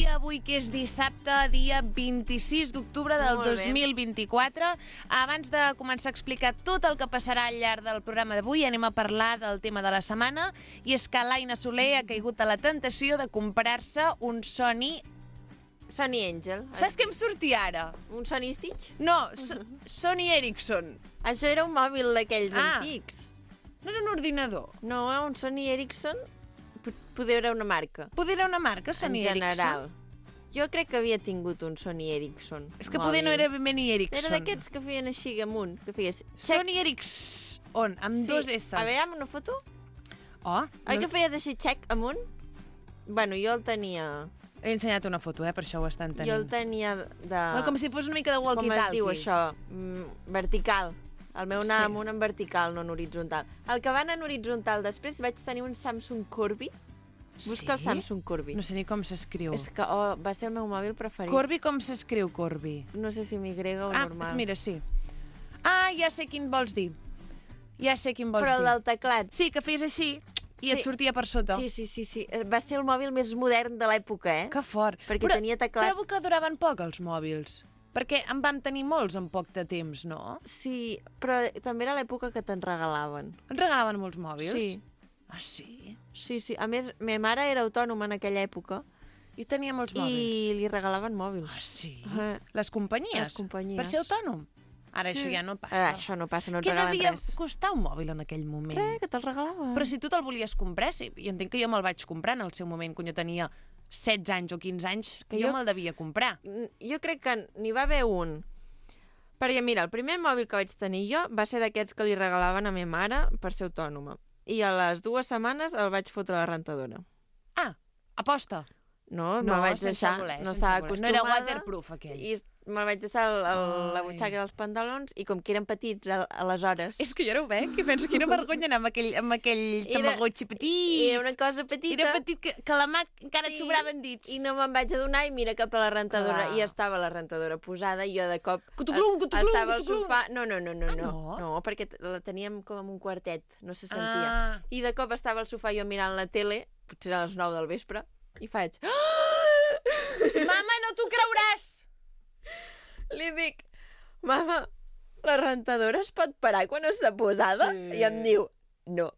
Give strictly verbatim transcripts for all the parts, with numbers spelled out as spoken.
dia avui, que és dissabte, dia vint-i-sis d'octubre del dos mil vint-i-quatre. Abans de començar a explicar tot el que passarà al llarg del programa d'avui, anem a parlar del tema de la setmana, i és que l'Aina Soler ha caigut a la tentació de comprar-se un Sony... Sony Angel. Saps què em sortia ara? Un Sony Stitch? No, so Sony Ericsson. Això era un mòbil d'aquells ah. antics. No era un ordinador? No, un Sony Ericsson... Poder era una marca. Poder era una marca, Sony Ericsson? En general. Jo crec que havia tingut un Sony Ericsson. És que poder no era ben bé ni Ericsson. Era d'aquests que feien així amunt, que feies... Sony Ericsson, amb sí. dos S. A veure, amb una foto? Oh. Oi no... que feies així, check amunt? Bueno, jo el tenia... He ensenyat una foto, eh? Per això ho estan tenint. Jo el tenia de... Bueno, com si fos una mica de walkie-talkie. Com es diu això? Mm, vertical. El meu anava sí. amunt en vertical, no en horitzontal. El que va anar en horitzontal després vaig tenir un Samsung Corby. Busca sí? el Samsung Corby. No sé ni com s'escriu. És que oh, va ser el meu mòbil preferit. Corby, com s'escriu Corby? No sé si m'Y o ah, normal. Ah, mira, sí. Ah, ja sé quin vols dir. Ja sé quin vols Però dir. Però el del teclat. Sí, que feies així i sí. et sortia per sota. Sí, sí, sí, sí. Va ser el mòbil més modern de l'època, eh? Que fort. Perquè Però tenia teclat. trobo que duraven poc els mòbils. Perquè en vam tenir molts en poc de temps, no? Sí, però també era l'època que te'n regalaven. En regalaven molts mòbils? Sí. Ah, sí? Sí, sí. A més, ma mare era autònoma en aquella època. I tenia molts mòbils. I li regalaven mòbils. Ah, sí? Uh, Les companyies? Les companyies. Per ser autònom? Ara sí. això ja no passa. Ah, això no passa, no et Què regalen devia res. costar un mòbil en aquell moment? Res, que te'l regalaven. Però si tu te'l volies comprar, sí. Jo entenc que jo me'l vaig comprar en el seu moment, quan jo tenia setze anys o quinze anys, que jo, jo me'l devia comprar. Jo crec que n'hi va haver un. Perquè, mira, el primer mòbil que vaig tenir jo va ser d'aquests que li regalaven a ma mare per ser autònoma. I a les dues setmanes el vaig fotre a la rentadora. Ah, aposta. No, no me'l vaig deixar. Voler, no estava acostumada. No era waterproof, aquell. I me'l vaig deixar el, el, la butxaca dels pantalons i com que eren petits aleshores... És que jo ara ho veig i penso quina vergonya anar amb aquell, amb aquell tamagotxi petit. Era una cosa petita. Era petit, que, que la mà encara sí, et sobraven dits. I no me'n vaig adonar i mira cap a la rentadora. Clar. I estava la rentadora posada i jo de cop... Cutuclum, cutuclum, estava al cutuclum. sofà... No, no, no, no, ah, no. no. No, perquè la teníem com en un quartet, no se sentia. Ah. I de cop estava al sofà jo mirant la tele, potser a les nou del vespre, i faig... Mama, no t'ho creuràs! Li dic, mama, la rentadora es pot parar quan està posada? Sí. I em diu, no,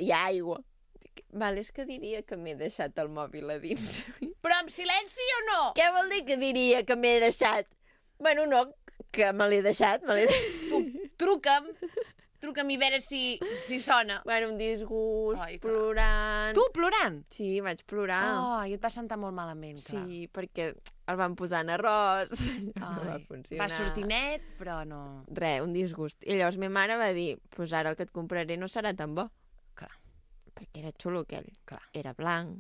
hi ha aigua. Dic, val, és que diria que m'he deixat el mòbil a dins. Però amb silenci o no? Què vol dir que diria que m'he deixat? Bueno, no, que me l'he deixat, me l'he deixat. Tu, truca'm, truca'm i veure si, si sona. Bueno, un disgust, Ai, plorant... Tu plorant? Sí, vaig plorar. Oh, i et va sentar molt malament, clar. Sí, perquè el van posar en arròs, Ai, no va funcionar. Va sortir net, però no... Res, un disgust. I llavors ma mare va dir, pues ara el que et compraré no serà tan bo. Clar. Perquè era xulo aquell. Clar. Era blanc.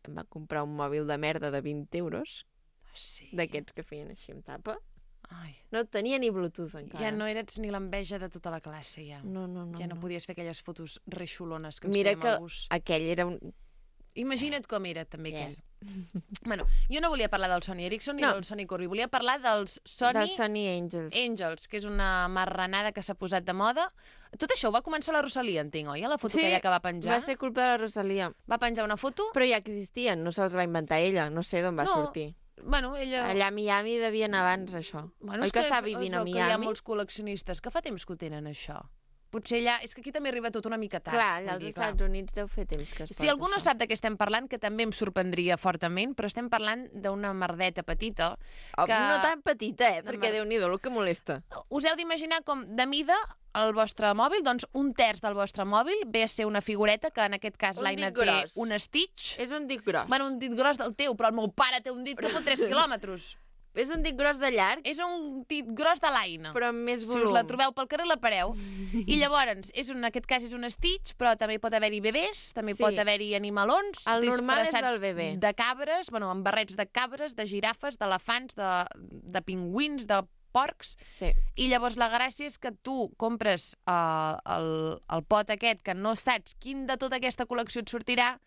Em va comprar un mòbil de merda de vint euros. Sí. D'aquests que feien així amb tapa. Ai. No tenia ni Bluetooth encara. Ja no eres ni l'enveja de tota la classe, ja. No, no, no. Ja no, no. podies fer aquelles fotos reixolones que ens Mira fèiem al bus. Mira que aquell era un... Imagina't com era, també, yeah. aquell. Bueno, jo no volia parlar del Sony Ericsson ni no. del Sony Corby. Volia parlar dels Sony... Dels Sony Angels. Angels, que és una marranada que s'ha posat de moda. Tot això ho va començar la Rosalia, entenc, oi? A la foto sí, aquella que va penjar. va ser culpa de la Rosalia. Va penjar una foto... Però ja existien, no se'ls va inventar ella. No sé d'on va no. sortir. Bueno, ella... Allà a Miami devia anar abans, això. Bueno, oi que, que està vivint a Miami? Que hi ha molts col·leccionistes que fa temps que ho tenen, això. Potser allà... És que aquí també arriba tot una mica tard. Clar, allà als Estats clar. Units deu fer temps que es Si algú no sap de què estem parlant, que també em sorprendria fortament, però estem parlant d'una merdeta petita. Oh, que... No tan petita, eh? Perquè mer... Déu-n'hi-do, el que molesta. Us heu d'imaginar com, de mida, el vostre mòbil, doncs un terç del vostre mòbil ve a ser una figureta, que en aquest cas l'Aina té un Stitch. És un dit gros. Bueno, un dit gros del teu, però el meu pare té un dit que pot tres quilòmetres. És un dit gros de llarg. És un dit gros de l'Aina. Però amb més volum. Si us la trobeu pel carrer, la pareu. I llavors, és un, en aquest cas és un Stitch, però també pot haver-hi bebès, també sí. pot haver-hi animalons. El normal és del bebè. De cabres, bueno, amb barrets de cabres, de girafes, d'elefants, de, de pingüins, de porcs. Sí. I llavors la gràcia és que tu compres uh, el, el pot aquest, que no saps quin de tota aquesta col·lecció et sortirà,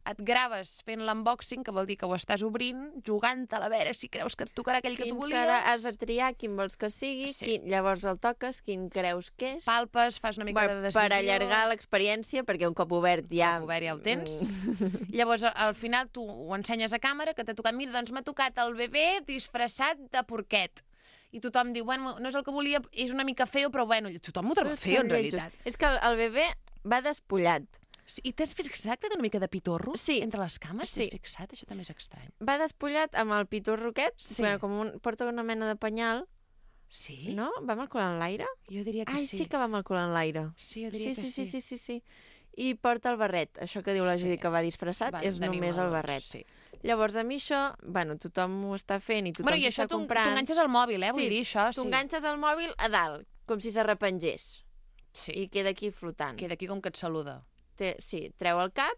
et graves fent l'unboxing, que vol dir que ho estàs obrint, jugant-te a veure si creus que et tocarà aquell que quin tu volies. Serà, has de triar quin vols que sigui, Sí. quin, llavors el toques, quin creus que és. Palpes, fas una mica bueno, de decisió. per allargar l'experiència, perquè un cop obert ja... Un cop obert ja ho tens. Llavors, al final, tu ho ensenyes a càmera, que t'ha tocat... Mira, doncs m'ha tocat el bebè disfressat de porquet. I tothom diu, bueno, no és el que volia, és una mica feo, però bueno, tothom ho troba feo, en realitat. És que el, el bebè va despullat. Sí, i t'has fixat que té una mica de pitorro Sí. entre les cames? Sí. T'has fixat? Això també és estrany. Va despullat amb el pitorro aquest, Sí. bueno, com un, porta una mena de penyal, Sí? no? Va amb el cul en l'aire? Jo diria que Ai, sí. sí que va amb el cul en l'aire. Sí, jo diria Sí, que sí, sí, sí, sí, sí. I porta el barret. Això que diu la Sí. Judit que va disfressat Va, és només el d'animador, barret. Sí. Llavors, a mi això, bueno, tothom ho està fent i tothom Bueno, i s'està això tu comprant. enganxes al mòbil, eh? Vull Sí, dir, això, sí. Tu enganxes el mòbil a dalt, com si s'arrepengés. Sí. I queda aquí flotant. Queda aquí com que et saluda. Té, sí, treu el cap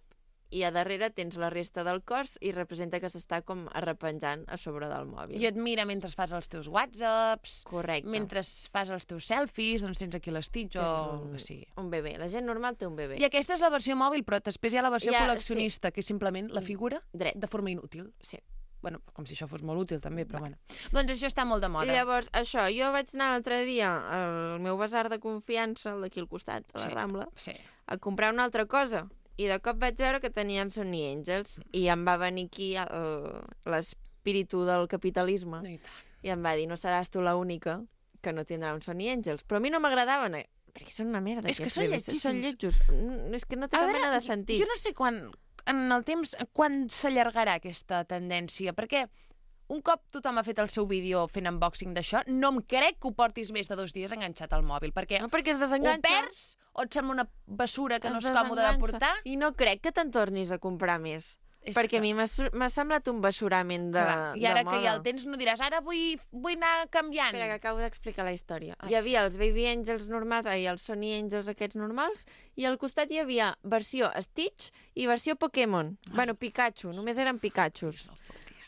i a darrere tens la resta del cos i representa que s'està com arrepenjant a sobre del mòbil. I et mira mentre fas els teus whatsapps, Correcte. mentre fas els teus selfies, doncs tens aquí l'estitx o Tens el un, que sigui. un bebè. La gent normal té un bebè. I aquesta és la versió mòbil, però després hi ha la versió Ja, col·leccionista, que és simplement la figura Dret. de forma inútil. Sí. Bueno, com si això fos molt útil, també, però bueno. Doncs això està molt de moda. I llavors, això, jo vaig anar l'altre dia al meu basar de confiança, el d'aquí al costat, a la Sí. Rambla, Sí. a comprar una altra cosa. I de cop vaig veure que tenien Sony Angels i em va venir aquí el- l'espíritu del capitalisme No, i tant. i em va dir, no seràs tu l'única que no tindrà un Sony Angels. Però a mi no m'agradaven, eh? Perquè són una merda. És que aquests són bebès. Són lletgíssims. lletjos. Mm, És que no té A cap veure, mena de sentit. Jo no sé quan, en el temps, quan s'allargarà aquesta tendència, perquè un cop tothom ha fet el seu vídeo fent unboxing d'això, no em crec que ho portis més de dos dies enganxat al mòbil, perquè No, perquè es o desenganxa. perds o et sembla una bessura que no Es és còmode de desenganxa. portar. I no crec que te'n tornis a comprar més. És perquè que- a mi m'ha su- m'ha semblat un bessurament de, Clar, I de ara moda. que ja el tens no diràs, ara vull, vull anar canviant. Espera, que acabo d'explicar la història. Ah, Hi havia els Baby Angels normals, ai, els Sony Angels aquests normals, i al costat hi havia versió Stitch i versió Pokémon. Ah. Bueno, Pikachu, només eren Pikachus.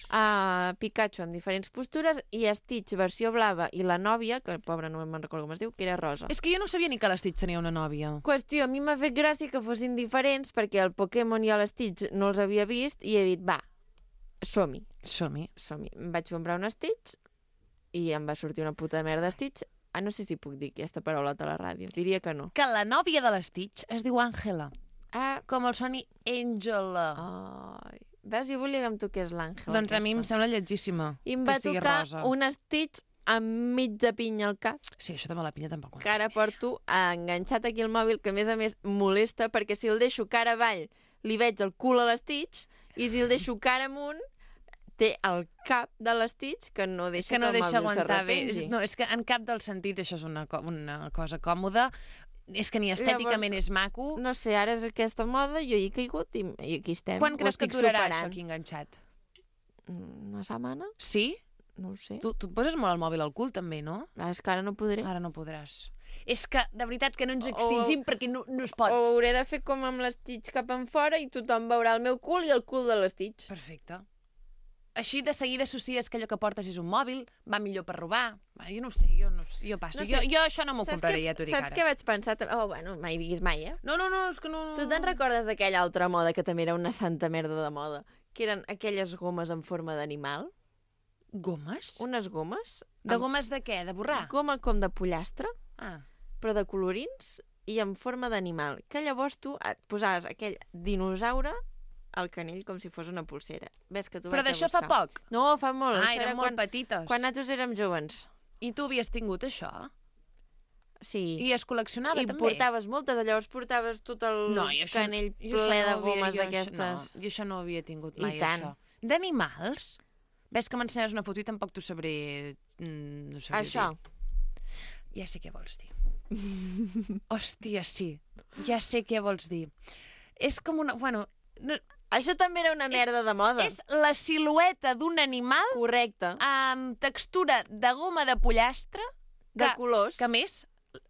Uh, Pikachu amb diferents postures i Stitch versió blava i la nòvia, que pobra no me'n recordo com es diu, que era rosa. És que jo no sabia ni que l'Stitch tenia una nòvia. Qüestió, a mi m'ha fet gràcia que fossin diferents perquè el Pokémon i l'Stitch no els havia vist i he dit, va, som-hi, Som-hi. som-hi. Em vaig comprar un Stitch i em va sortir una puta merda Stitch. Ah, no sé si puc dir aquesta paraula a la ràdio. Diria que no. Que la nòvia de l'Stitch es diu Àngela, Ah, com el Sony Angela. ai. Veus, jo volia que em toqués l'Àngela. Doncs a mi em sembla lletgíssima I em que va sigui tocar rosa. un Stitch amb mitja pinya al cap, Sí, això de la pinya tampoc. que ara porto enganxat aquí al mòbil, que a més a més molesta, perquè si el deixo cara avall li veig el cul a l'Stitch, i si el deixo cara amunt té el cap de l'Stitch que no deixa que no que el deixa mòbil aguantar bé. s'arrepengui. És- No, és que en cap dels sentits això és una, co una cosa còmoda. És que ni estèticament Llavors, és maco. No sé, ara és aquesta moda, jo hi he caigut i, i aquí estem. Quan Ho creus que estic durarà superant. això aquí enganxat? Una setmana? Sí? No ho sé. Tu, tu et poses molt el mòbil al cul, també, no? Ah, és que ara no podré. Ara no podràs. És que, de veritat, que no ens extingim perquè no, no es pot. O hauré de fer com amb l'Stitch cap en fora i tothom veurà el meu cul i el cul de l'Stitch. Perfecte. Així de seguida associes que allò que portes és un mòbil, va millor per robar. Va, jo no ho sé, jo, no, ho sé, jo passo. No sé. Jo, jo això no m'ho Saps compraré, què- ja t'ho dic Saps ara. què vaig pensar? Oh, bueno, mai diguis mai, eh? No, no, no, és que no... Tu te'n recordes d'aquella altra moda que també era una santa merda de moda? Que eren aquelles gomes en forma d'animal? Gomes? Unes gomes? De amb gomes de què? De borrar? Goma com de pollastre, Ah. però de colorins i en forma d'animal. Que llavors tu et posaves aquell dinosaure al canell com si fos una pulsera. Ves que tu Però vaig a d'això fa buscar. poc? No, fa molt. Ah, Això eren era molt quan, petites. quan nosaltres érem joves. I tu havies tingut això? Sí. I es col·leccionava I també? portaves moltes, llavors portaves tot el No, i això, canell jo ple això de no ho havia- gomes jo això d'aquestes. No, jo això no ho havia tingut I mai, tant. això. D'animals? Ves que m'ensenyes una foto i tampoc t'ho sabré... mm, No sabré Això. dir. Ja sé què vols dir. Hòstia, sí. Ja sé què vols dir. És com una... Bueno, no, Això també era una merda de moda. és la silueta d'un animal Correcte. amb textura de goma de pollastre De que, colors. que a més,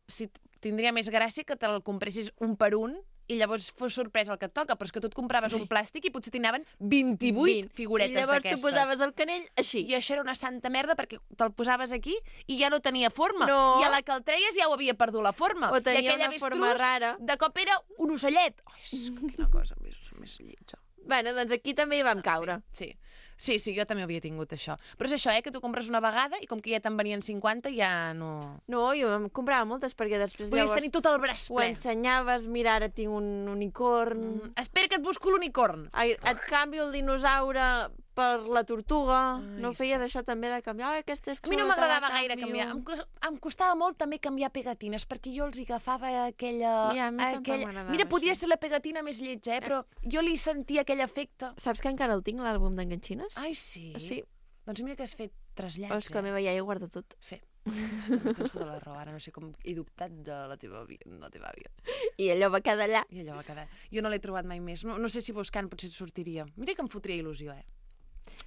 si tindria més gràcia que te'l compressis un per un i llavors fos sorpresa el que et toca, però és que tu et compraves un plàstic i potser t'hi anaven vint-i-vuit vint. figuretes I llavors d'aquestes. tu posaves el canell així. I això era una santa merda perquè te'l posaves aquí i ja no tenia forma. No. I a la que el treies ja ho havia perdut la forma. O tenia I aquell una avestruz, forma rara. de cop era un ocellet. Ai, és quina cosa més, més lletja. Bueno, doncs aquí també hi vam caure. Sí, sí, sí, jo també havia tingut això. Però és això, eh, que tu compres una vegada i com que ja te'n venien cinquanta, ja no... No, jo em comprava moltes perquè després Podies llavors tenir tot el braç ho ple. ensenyaves, mira, ara tinc un unicorn... Mm, espera que et busco l'unicorn. Ai, et canvio el dinosaure per la tortuga. Ai, No feies sí. això també de canviar? Ai, aquesta és A mi no xula, te la m'agradava gaire canvio. canviar. Em, cos- em costava molt també canviar pegatines, perquè jo els agafava aquella... I a mi tampoc aquella... m'agradava Mira, podia això. ser la pegatina més lletja, eh? Però jo li sentia aquell efecte. Saps que encara el tinc, l'àlbum d'enganxines? Ai, sí? Sí. Doncs mira que has fet trasllats, Oh, és que la eh? meva iaia ho guarda tot. Sí. Tens tota la raó. Ara no sé com he dubtat de la teva àvia. La teva àvia. I allò va quedar allà. I allò va quedar. Jo no l'he trobat mai més. No, no sé si buscant potser sortiria. Mira que em fotria il·lusió, eh?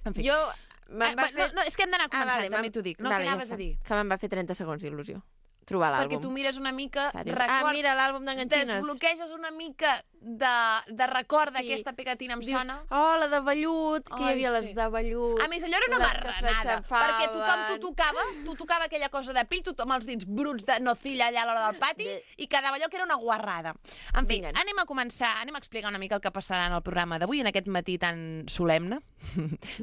En fi. Jo... Eh, Me'n va no, fer... no, és que hem d'anar començant, vale, també me'n- t'ho dic. No, vale, què ja anaves està. a dir? Que me'n va fer trenta segons d'il·lusió. Trobar l'àlbum. Perquè tu mires una mica, Ah, dius, record... ah, mira l'àlbum d'enganxines. Desbloqueges una mica de, de record Sí. d'aquesta pegatina, em Dius, sona. oh, la de vellut, que hi Ai, havia sí. les de vellut. A més, allò era una les que marranada, s'aixafaven. perquè tothom t'ho tocava, tu tocava aquella cosa de pell, tothom els dits bruts de nocilla allà a l'hora del pati, De- i quedava allò que era una guarrada. En fi, Vinga. anem a començar, anem a explicar una mica el que passarà en el programa d'avui, en aquest matí tan solemne.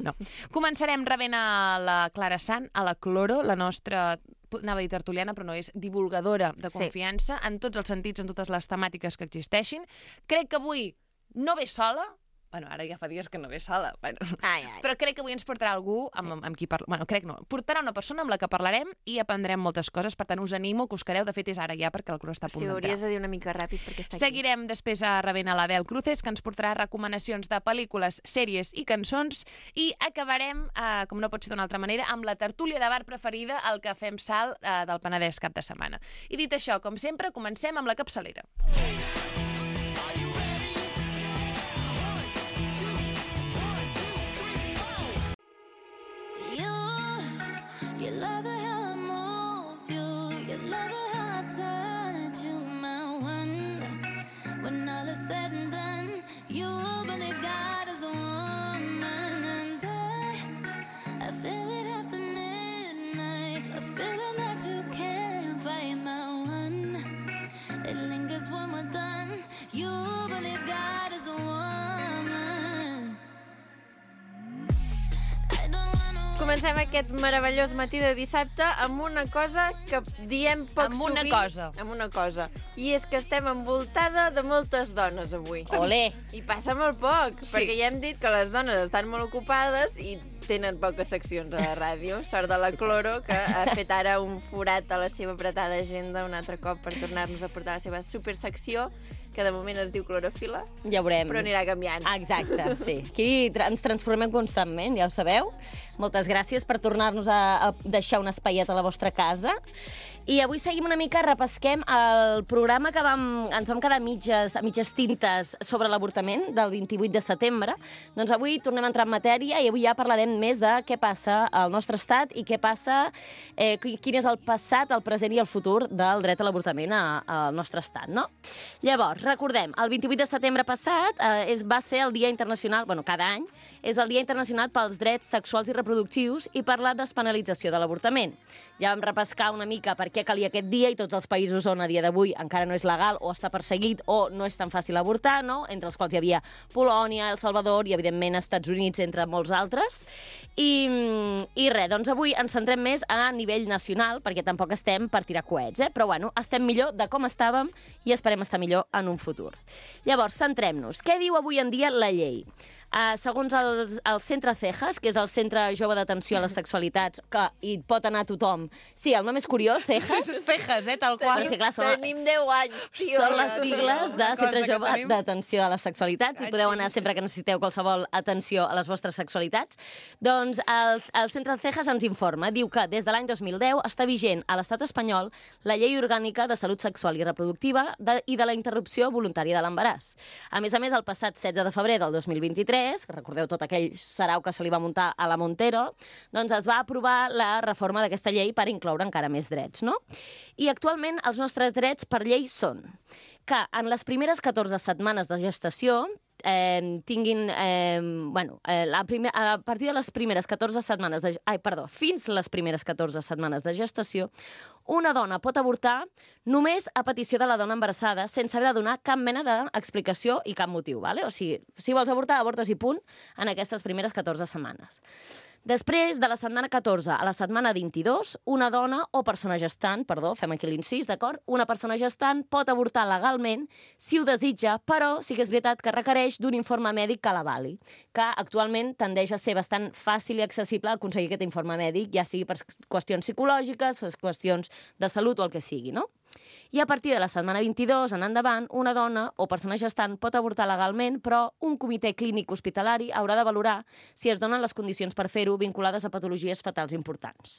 No. Començarem rebent a la Clara Sant, a la Cloro, la nostra, anava a dir tertuliana, però no, és divulgadora de Sí. confiança, en tots els sentits, en totes les temàtiques que existeixin. Crec que avui no ve sola, bueno, ara ja fa dies que no ve sola, bueno, Ai, ai. però crec que avui ens portarà algú amb, amb, amb qui parlar. Bueno, crec no. Portarà una persona amb la que parlarem i aprendrem moltes coses. Per tant, us animo que us quedeu. De fet, és ara ja, perquè el Cloro està a punt Sí, ho hauries d'entrar. de dir una mica ràpid perquè està aquí. Seguirem després a rebent a l'Abel Cruces, que ens portarà recomanacions de pel·lícules, sèries i cançons. I acabarem, eh, com no pot ser d'una altra manera, amb la tertúlia de bar preferida, el que fem salt eh, del Penedès cap de setmana. I dit això, com sempre, comencem amb la capçalera. You love it how I move you. You love it how I touch you, my one. When all is said and done, you believe God is a woman, and I, I feel it after midnight. A feeling that you can't fight, my one. It lingers when we're done. You believe God is a woman. I don't wanna. Comencem aquest meravellós matí de dissabte amb una cosa que diem poc Amb una sovint. cosa. Amb una cosa. I és que estem envoltada de moltes dones avui. Olé! I passa molt poc, Sí. perquè ja hem dit que les dones estan molt ocupades i tenen poques seccions a la ràdio. Sort de la Cloro, que ha fet ara un forat a la seva apretada agenda un altre cop per tornar-nos a portar la seva supersecció, que de moment es diu Clorofila, Ja veurem. però anirà canviant. Exacte, sí. Aquí tra ens transformem constantment, ja ho sabeu. Moltes gràcies per tornar-nos a, a deixar un espaiet a la vostra casa. I avui seguim una mica, repesquem el programa que vam, ens vam quedar a mitges, a mitges tintes sobre l'avortament del vint-i-vuit de setembre. Doncs avui tornem a entrar en matèria i avui ja parlarem més de què passa al nostre estat i què passa, eh, quin és el passat, el present i el futur del dret a l'avortament a- al nostre estat, no? Llavors, recordem, el vint-i-vuit de setembre passat eh, és, va ser el Dia Internacional, bueno, cada any, és el Dia Internacional pels Drets Sexuals i Reproductius i per la despenalització de l'avortament. Ja vam repescar una mica per què calia aquest dia i tots els països on a dia d'avui encara no és legal o està perseguit o no és tan fàcil avortar, no? Entre els quals hi havia Polònia, El Salvador i, evidentment, Estats Units, entre molts altres. I, i res, doncs avui ens centrem més a nivell nacional, perquè tampoc estem per tirar coets, eh? Però, bueno, estem millor de com estàvem i esperem estar millor en un futur. Llavors, centrem-nos. Què diu avui en dia la llei? Uh, segons el, el Centre Cejas, que és el Centre Jove d'Atenció a les Sexualitats, que hi pot anar tothom. Sí, el nom és curiós, Cejas. Cejas, eh, tal qual. Però sí, clar, són, Tenim deu anys, tio. són les sigles de Cosa Centre que Jove tenim. d'Atenció a les Sexualitats i podeu anar sempre que necessiteu qualsevol atenció a les vostres sexualitats. Doncs el, el Centre Cejas ens informa, diu que des de l'any dos mil deu està vigent a l'estat espanyol la Llei Orgànica de Salut Sexual i Reproductiva de, i de la interrupció voluntària de l'embaràs. A més a més, el passat setze de febrer del dos mil vint-i-tres, que recordeu tot aquell sarau que se li va muntar a la Montero, doncs es va aprovar la reforma d'aquesta llei per incloure encara més drets, no? I actualment els nostres drets per llei són que en les primeres catorze setmanes de gestació eh, tinguin... Eh, bueno, eh, la primer, a partir de les primeres catorze setmanes... De, ai, perdó, fins les primeres catorze setmanes de gestació, una dona pot avortar només a petició de la dona embarassada, sense haver de donar cap mena d'explicació i cap motiu, ¿vale? O sigui, si vols avortar, avortes i punt en aquestes primeres catorze setmanes. Després, de la setmana catorze a la setmana vint-i-dos, una dona o persona gestant, perdó, fem aquí l'incís, d'acord? Una persona gestant pot avortar legalment si ho desitja, però sí que és veritat que requereix d'un informe mèdic que l'avali, que actualment tendeix a ser bastant fàcil i accessible aconseguir aquest informe mèdic, ja sigui per qüestions psicològiques, per qüestions de salut o el que sigui, no? I a partir de la setmana vint-i-dos en endavant, una dona o persona gestant pot avortar legalment, però un comitè clínic hospitalari haurà de valorar si es donen les condicions per fer-ho vinculades a patologies fatals importants.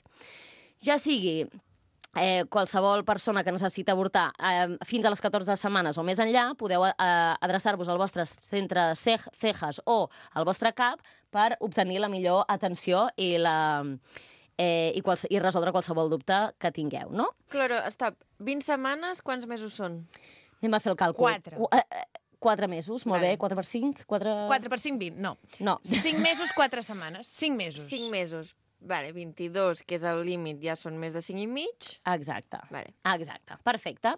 Ja sigui eh, qualsevol persona que necessita avortar eh, fins a les catorze setmanes o més enllà, podeu eh, adreçar-vos al vostre centre C E J A S o al vostre C A P per obtenir la millor atenció i la... Eh, i, quals, i resoldre qualsevol dubte que tingueu, no? Claro, stop. vint setmanes, quants mesos són? Anem a fer el càlcul. Quatre. Qu eh, quatre mesos, molt Vale. bé. quatre per cinc? quatre... quatre per cinc, vint, no. No. cinc mesos, quatre setmanes. cinc mesos. cinc mesos. Vale, vint-i-dos, que és el límit, ja són més de cinc i mig. Exacte. Vale. Exacte, perfecte.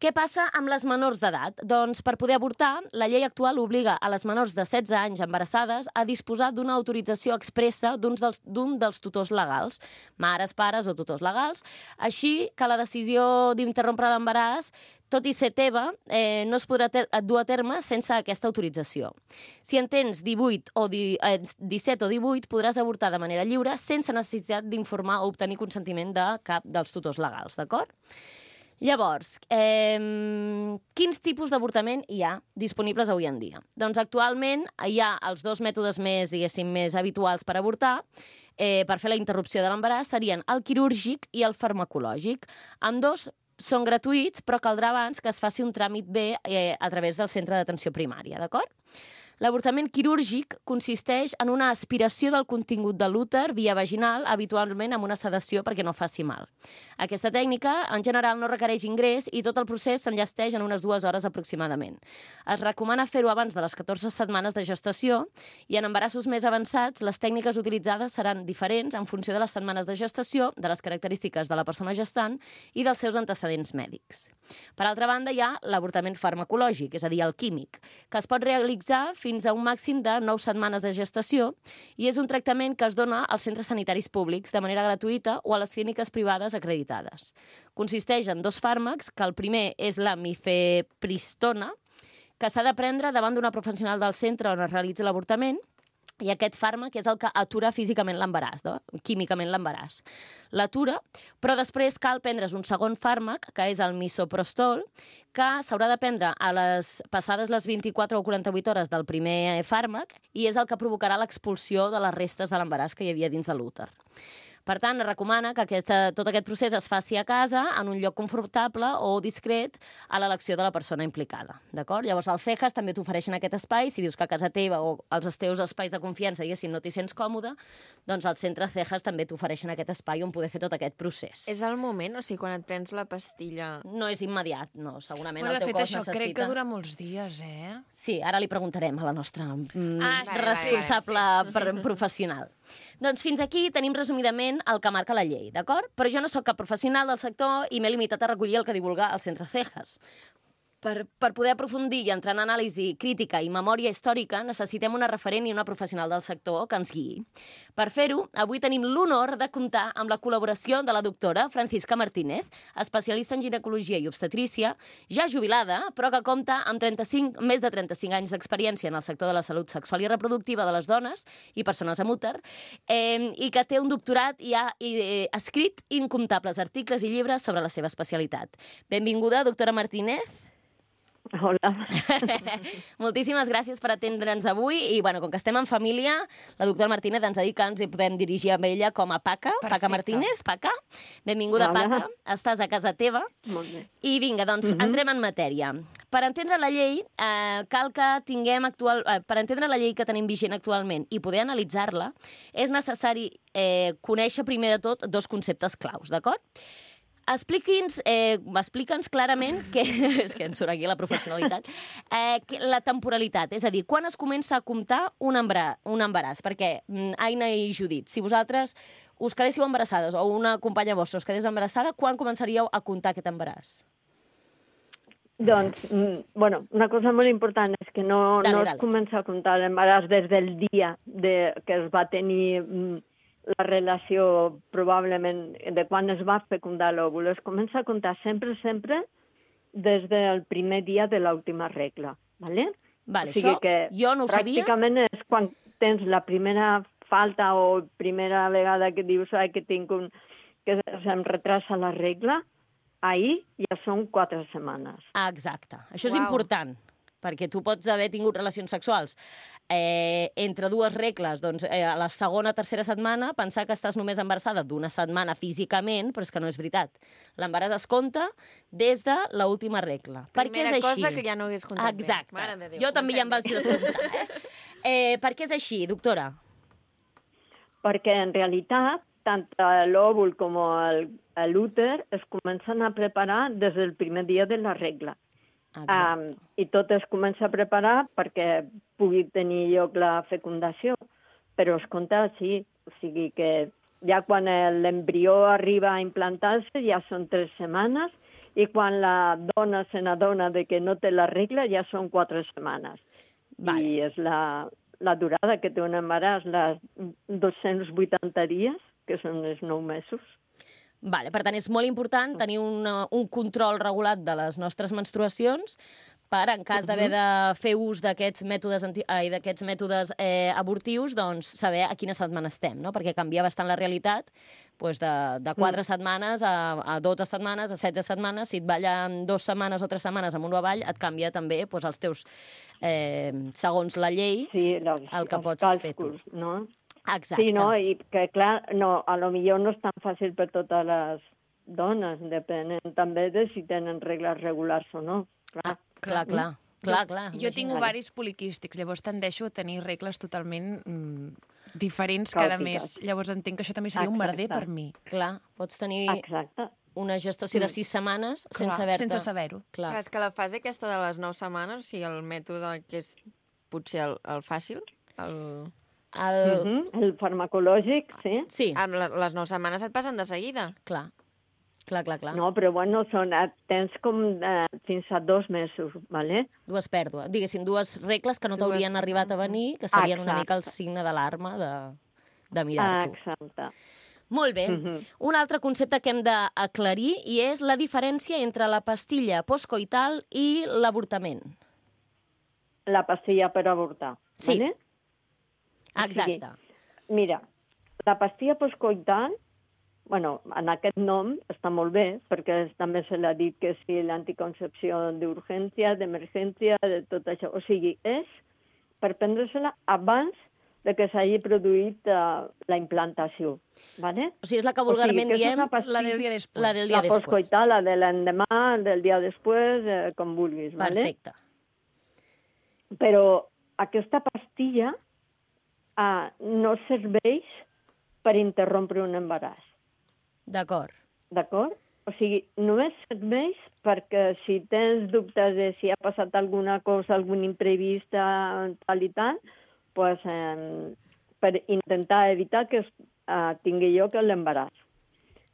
Què passa amb les menors d'edat? Doncs per poder avortar, la llei actual obliga a les menors de setze anys embarassades a disposar d'una autorització expressa d'un dels, d'un dels tutors legals, mares, pares o tutors legals, així que la decisió d'interrompre l'embaràs, tot i ser teva, eh, no es podrà dur a terme sense aquesta autorització. Si en tens divuit o di, eh, disset o divuit, podràs avortar de manera lliure sense necessitat d'informar o obtenir consentiment de cap dels tutors legals, d'acord? Llavors, eh, quins tipus d'avortament hi ha disponibles avui en dia? Doncs actualment hi ha els dos mètodes més, diguéssim, més habituals per avortar, eh, per fer la interrupció de l'embaràs, serien el quirúrgic i el farmacològic. Ambdós són gratuïts, però caldrà abans que es faci un tràmit bé eh, a través del centre d'atenció primària, d'acord? L'avortament quirúrgic consisteix en una aspiració del contingut de l'úter via vaginal, habitualment amb una sedació perquè no faci mal. Aquesta tècnica, en general, no requereix ingrés i tot el procés s'enllesteix en unes dues hores aproximadament. Es recomana fer-ho abans de les catorze setmanes de gestació i en embarassos més avançats les tècniques utilitzades seran diferents en funció de les setmanes de gestació, de les característiques de la persona gestant i dels seus antecedents mèdics. Per altra banda, hi ha l'avortament farmacològic, és a dir, el químic, que es pot realitzar fins a un màxim de nou setmanes de gestació i és un tractament que es dona als centres sanitaris públics de manera gratuïta o a les clíniques privades acreditades. Consisteix en dos fàrmacs, que el primer és la mifepristona, que s'ha de prendre davant d'una professional del centre on es realitza l'avortament, i aquest fàrmac és el que atura físicament l'embaràs, no? Químicament l'embaràs. L'atura, però després cal prendre's un segon fàrmac, que és el misoprostol, que s'haurà de prendre a les passades les vint-i-quatre o quaranta-vuit hores del primer fàrmac i és el que provocarà l'expulsió de les restes de l'embaràs que hi havia dins de l'úter. Per tant, es recomana que aquesta, tot aquest procés es faci a casa, en un lloc confortable o discret a l'elecció de la persona implicada. D'acord? Llavors, al C E J A S també t'ofereixen aquest espai. Si dius que a casa teva o als teus espais de confiança, diguéssim, no t'hi sents còmode, doncs al centre C E J A S també t'ofereixen aquest espai on poder fer tot aquest procés. És el moment? O sigui, quan et prens la pastilla... No és immediat, no. Segurament Bueno, el teu de fet, cos això necessita... crec que dura molts dies, eh? Sí, ara li preguntarem a la nostra mm, Ah, sí, responsable vale, vale, sí. professional. Doncs fins aquí tenim resumidament el que marca la llei, d'acord? Però jo no sóc cap professional del sector i m'he limitat a recollir el que divulga el centre C E J A S. Per, per poder aprofundir i entrar en anàlisi crítica i memòria històrica, necessitem una referent i una professional del sector que ens guiï. Per fer-ho, avui tenim l'honor de comptar amb la col·laboració de la doctora Francisca Martínez, especialista en ginecologia i obstetrícia, ja jubilada, però que compta amb trenta-cinc, més de trenta-cinc anys d'experiència en el sector de la salut sexual i reproductiva de les dones i persones amb úter, eh, i que té un doctorat i ha i, eh, escrit incomptables articles i llibres sobre la seva especialitat. Benvinguda, doctora Martínez. Hola. Moltíssimes gràcies per atendre'ns avui i, bueno, com que estem en família, la doctora Martínez ens ha dit que ens hi podem dirigir amb ella com a Paca. Perfecte. Paca Martínez, Paca. Benvinguda, Hola. Paca. Estàs a casa teva. Molt bé. I vinga, doncs, Mhm. entrem en matèria. Per entendre la llei, eh, cal que tinguem actual... Eh, per entendre la llei que tenim vigent actualment i poder analitzar-la, és necessari eh, conèixer primer de tot dos conceptes claus, d'acord? expliqui'ns, eh, explica'ns clarament que, és que em surt aquí la professionalitat, eh, que la temporalitat, és a dir, quan es comença a comptar un embaràs, un embaràs? Perquè, Aina i Judit, si vosaltres us quedéssiu embarassades o una companya vostra us quedés embarassada, quan començaríeu a comptar aquest embaràs? Doncs, bueno, una cosa molt important és que no, dale, no dale. es comença a comptar l'embaràs des del dia de, que es va tenir la relació, probablement, de quan es va fecundar l'òvul. Es comença a comptar sempre, sempre des del primer dia de l'última regla, ¿vale? Vale, o sigui això que jo no ho sabia. Pràcticament és quan tens la primera falta o primera vegada que dius ai, que tinc un... que se'm retrasa la regla, ahir ja són quatre setmanes. Ah, exacte. Això és Uau. important, perquè tu pots haver tingut relacions sexuals eh, entre dues regles, doncs eh, a la segona o tercera setmana pensar que estàs només embarassada d'una setmana físicament, però és que no és veritat. L'embaràs es compta des de l'última regla. Per què és Primera així? cosa que ja no hagués comptat bé. Exacte. Mare de Déu, Jo també ja em vaig comencem bé. descomptar. Eh? Eh, per què és així, doctora? Perquè en realitat tant l'òvul com l'úter es comencen a preparar des del primer dia de la regla. Um, I tot es comença a preparar perquè pugui tenir lloc la fecundació, però es compta així, o sigui que ja quan l'embrió arriba a implantar-se ja són tres setmanes i quan la dona se n'adona de que no té la regla ja són quatre setmanes. Vale. I és la, la durada que té un embaràs, les dos-cents vuitanta dies, que són els nou mesos. Vale, per tant, és molt important tenir una, un control regulat de les nostres menstruacions per, en cas d'haver de fer ús d'aquests mètodes, anti... ai, d'aquests mètodes eh, abortius, doncs saber a quina setmana estem, no? Perquè canvia bastant la realitat doncs de, de quatre mm. setmanes a, a dotze setmanes, a setze setmanes. Si et ballen dues setmanes o tres setmanes amunt o avall, et canvia també doncs, els teus, eh, segons la llei, sí, els, el que els pots càlculs, fer tu. No? Exacte. Sí, no? I que, clar, no, a lo millor no és tan fàcil per totes les dones, depenent també de si tenen regles regulars o no. Clar, ah, clar, clar. clar, clar. Jo tinc ovaris poliquístics, llavors tendeixo a tenir regles totalment mm, diferents cada mes. Llavors entenc que això també seria un merder per mi. Clar, pots tenir Exacte. una gestació de sis setmanes Clar, sense haver-te... sense saber-ho. Clar. Clar, és que la fase aquesta de les nou setmanes, o sigui, el mètode que és potser el, el fàcil, el... El... Uh -huh. El farmacològic, sí. Sí, amb la, les nou setmanes et passen de seguida. clar. Clar, clar, clar. No, però bueno, són, tens com eh, fins a dos mesos, ¿vale? Dues pèrdues. Diguéssim, dues regles que no Dues- t'haurien arribat a venir, que serien una Exacte. mica el signe d'alarma de, de mirar-t'ho. Exacte. Molt bé. Mhm. Un altre concepte que hem d'aclarir i és la diferència entre la pastilla postcoital i l'avortament. La pastilla per avortar, Sí. ¿vale? Exacte. Mira, la pastilla postcoital, bueno, en aquest nom està molt bé, perquè també se l'ha dit que sí, l'anticoncepció d'urgència, d'emergència, de tot això. O sigui, és per prendre-se-la abans de que s'hagi produït uh, la implantació, ¿vale? O sigui, és la que vulgarment que és diem... una pastilla- La del dia després. La del dia La després. postcoital, la de l'endemà, del dia després, eh, com vulguis, ¿vale? Perfecte. Però aquesta pastilla uh, no serveix per interrompre un embaràs. D'acord. D'acord? O sigui, només serveix perquè si tens dubtes de si ha passat alguna cosa, algun imprevist, tal i tal, pues, eh, per intentar evitar que es, eh, tingui lloc l'embaràs.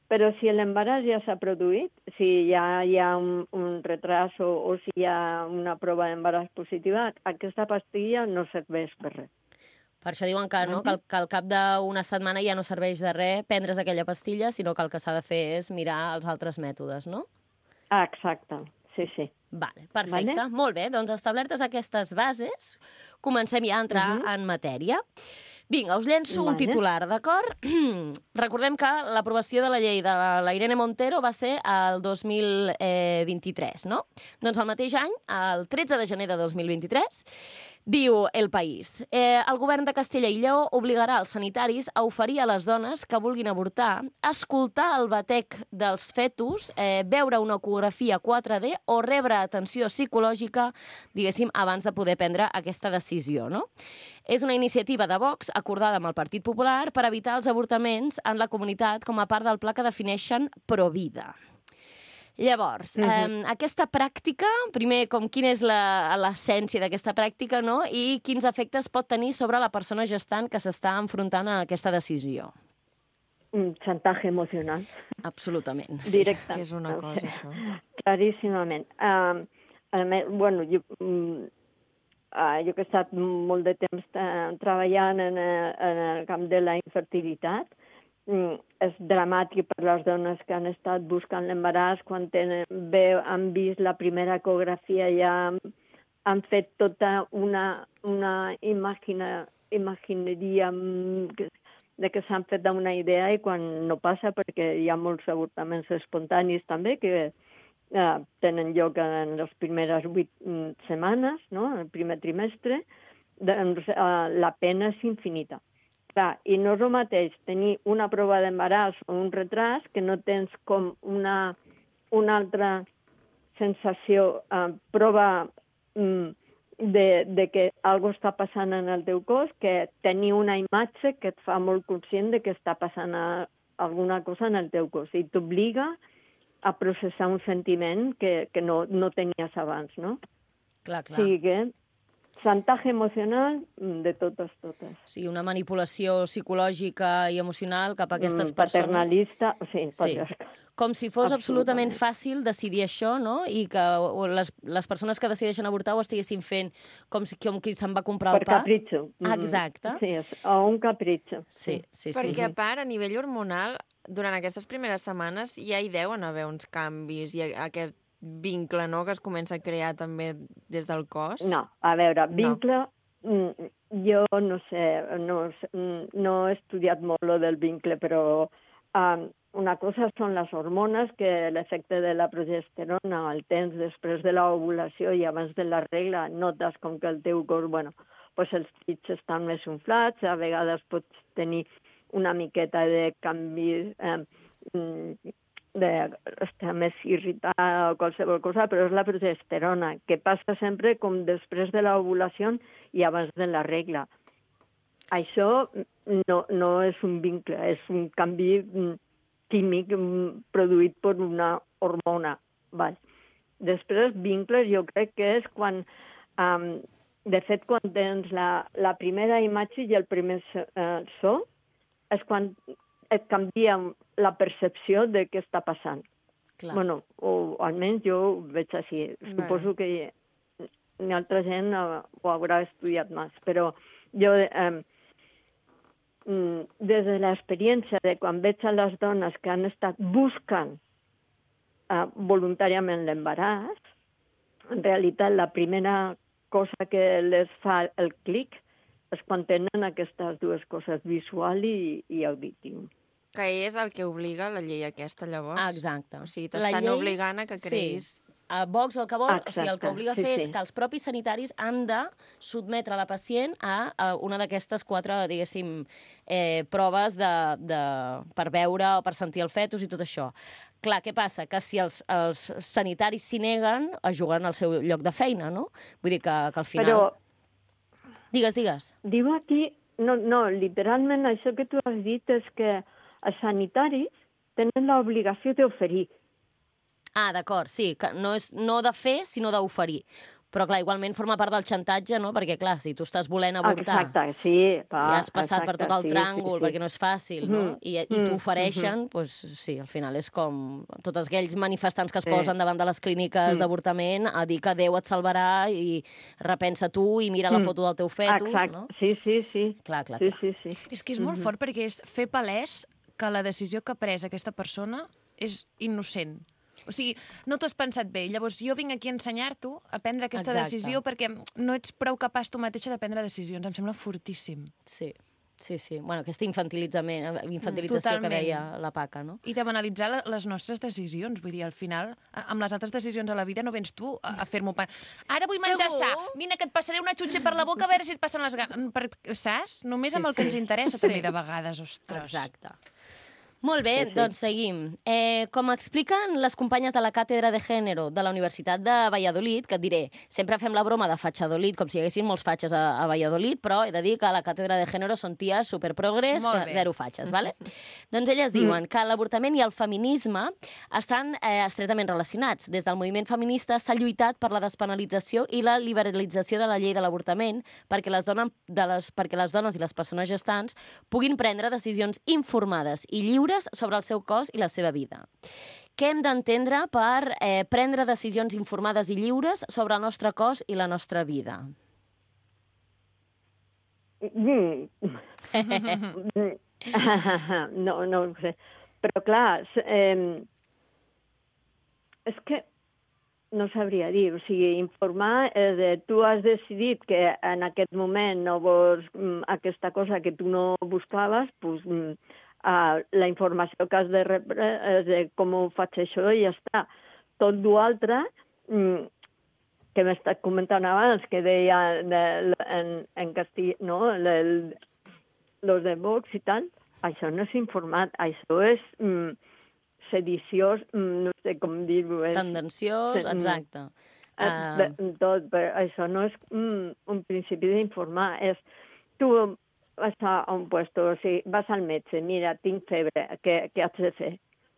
Però si l'embaràs ja s'ha produït, si ja hi ha un, un retras o, o si hi ha una prova d'embaràs positiva, aquesta pastilla no serveix per res. Per això diuen que, no, que, al, que al cap d'una setmana ja no serveix de res prendre's aquella pastilla, sinó que el que s'ha de fer és mirar els altres mètodes, no? Ah, exacte, sí, sí. Vale, perfecte. Vale. Molt bé, doncs establertes aquestes bases, comencem ja a entrar uh -huh. en matèria. Vinga, us llenço vale. un titular, d'acord? Recordem que l'aprovació de la llei de la Irene Montero va ser el dos mil vint-i-tres, no? Doncs el mateix any, el tretze de gener de dos mil vint-i-tres, diu El País, eh, el govern de Castella i Lleó obligarà els sanitaris a oferir a les dones que vulguin avortar escoltar el batec dels fetus, eh, veure una ecografia quatre D o rebre atenció psicològica, diguéssim, abans de poder prendre aquesta decisió, no? És una iniciativa de Vox acordada amb el Partit Popular per evitar els avortaments en la comunitat com a part del pla que defineixen Provida. Llavors, Mhm. eh, aquesta pràctica, primer, com quina és la- l'essència d'aquesta pràctica, no? I quins efectes pot tenir sobre la persona gestant que s'està enfrontant a aquesta decisió? Un chantaje emocional. Absolutament. És Directe. que és una cosa, això. Claríssimament. Um, a més, bueno, jo, um, uh, jo que he estat molt de temps uh, treballant en, uh, en el camp de la infertilitat, um, és dramàtic per les dones que han estat buscant l'embaràs, quan tenen, bé, han vist la primera ecografia, ja han, han fet tota una, una imagina, imagineria um, que, de que s'han fet una idea i quan no passa, perquè hi ha molts avortaments espontanis també que eh, tenen lloc en les primeres vuit mm, setmanes, no?, en el primer trimestre, doncs eh, la pena és infinita. Clar, i no és el mateix tenir una prova d'embaràs o un retras que no tens com una, una altra sensació, eh, prova mm, de, de que algo està passant en el teu cos, que tenir una imatge que et fa molt conscient de que està passant a, alguna cosa en el teu cos i t'obliga a processar un sentiment que, que no, no tenies abans, no? Clar, clar. O sigui que chantatge emocional de totes, totes. Sí, una manipulació psicològica i emocional cap a aquestes Mm, persones. paternalista, sí, Sí. patriarcal. Com si fos absolutament, Absolutament. fàcil decidir això, no? I que o les, les persones que decideixen avortar ho estiguessin fent com, si, com qui se'n va comprar Per el pa. capritxo. Ah, exacte. Sí, és, o un capritxo. Sí, sí, sí. Perquè, a part, a nivell hormonal, durant aquestes primeres setmanes ja hi deuen haver uns canvis i aquest vincle, no?, que es comença a crear també des del cos. No, a veure, No. vincle, no. jo no sé, no, sé, no he estudiat molt lo del vincle, però um, una cosa són les hormones, que l'efecte de la progesterona el tens després de l'ovulació i abans de la regla, notes com que el teu cos, bueno, pues els pits estan més inflats, a vegades pots tenir una miqueta de canvi, eh, d'estar més irritat o qualsevol cosa, però és la progesterona, que passa sempre com després de l'ovulació i abans de la regla. Això no, no és un vincle, és un canvi químic produït per una hormona. Val. Després, vincles jo crec que és quan, um, de fet, quan tens la, la primera imatge i el primer uh, so, és quan et canvia la percepció de què està passant. Clar. Bueno, o almenys jo ho veig així. Vale. Suposo que hi, hi ha altra gent uh, ho haurà estudiat més, però jo, eh, des de l'experiència de quan veig a les dones que han estat buscant uh, voluntàriament l'embaràs, en realitat la primera cosa que les fa el clic és quan tenen aquestes dues coses, visual i, i auditiu. Que és el que obliga la llei aquesta, llavors. Ah, exacte. O sigui, La t'estan llei- obligant a que creïs... Sí. A Vox el que vol, o sigui, el que Exacte, obliga a sí, fer sí. és que els propis sanitaris han de sotmetre la pacient a, a una d'aquestes quatre, diguéssim, eh, proves de, de, per veure o per sentir el fetus i tot això. Clar, què passa? Que si els, els sanitaris s'hi neguen, es juguen al seu lloc de feina, no? Vull dir que, que al final... Però Digues, digues. diu aquí, no, no, literalment això que tu has dit és que els sanitaris tenen l'obligació d'oferir. Ah, d'acord, sí, que no és no de fer, sinó d'oferir. Però, clar, igualment forma part del xantatge, no? Perquè, clar, si tu estàs volent avortar Exacte, sí. Va, i has passat exacte, per tot el sí, tràngol, sí, sí. perquè no és fàcil, no? Mhm, I, i mhm, t'ofereixen, doncs sí, al final és com tots aquells manifestants que es Sí. posen davant de les clíniques Mm. d'avortament a dir que Déu et salvarà i repensa tu i mira la Mm. foto del teu fetus, Exacte, no? sí, sí, sí. Clar, clar, Sí, clar. sí, sí. És que és molt fort perquè és fer palès que la decisió que ha pres aquesta persona és innocent. O sigui, no t'ho has pensat bé. Llavors, jo vinc aquí a ensenyar-t'ho a prendre aquesta Exacte. decisió perquè no ets prou capaç tu mateixa de prendre decisions. Em sembla fortíssim. Sí, sí, sí. Bueno, aquesta infantilitzament, infantilització Totalment. que deia la Paca, no? I de banalitzar la- les nostres decisions. Vull dir, al final, a- amb les altres decisions a la vida no vens tu a, a fer-m'ho... Pa... Ara vull menjar Segur? sa. Vine, que et passaré una xutxa per la boca a veure si et passen les ganes. Per... Saps? Només Sí, amb el que sí. ens interessa Sí. també de vegades, ostres. Exacte. Molt bé, Sí, sí. doncs seguim. Eh, com expliquen les companyes de la Càtedra de Gènere de la Universitat de Valladolid, que et diré, sempre fem la broma de fatxadolid, com si hi haguessin molts fatxes a, a Valladolid, però he de dir que a la Càtedra de Gènere són ties superprogrés, Molt que bé. zero fatxes, vale? Doncs elles diuen que l'avortament i el feminisme estan eh, estretament relacionats. Des del moviment feminista s'ha lluitat per la despenalització i la liberalització de la llei de l'avortament perquè les, donen, de les, perquè les dones i les persones gestants puguin prendre decisions informades i lliures sobre el seu cos i la seva vida. Què hem d'entendre per eh, prendre decisions informades i lliures sobre el nostre cos i la nostra vida? Mm. no, no ho sé. Però clar, s- eh, és que no sabria dir, o sigui, informar és de tu has decidit que en aquest moment no vols mm, aquesta cosa que tu no buscaves, doncs mm, uh, la informació que has de rebre és de com ho faig això i ja està. Tot l'altre, mm, que m'he estat comentant abans, que deia de, en, en castell, no?, el, los de Vox i tal, això no és informat, això és mm, sediciós, mm, no sé com dir-ho. és- Tendenciós, Sí, mm. exacte. Eh, Uh, de- tot, però això no és mm, un principi d'informar, és tu vas a un puesto, o sigui, vas al metge, mira, tinc febre, què, què has de fer?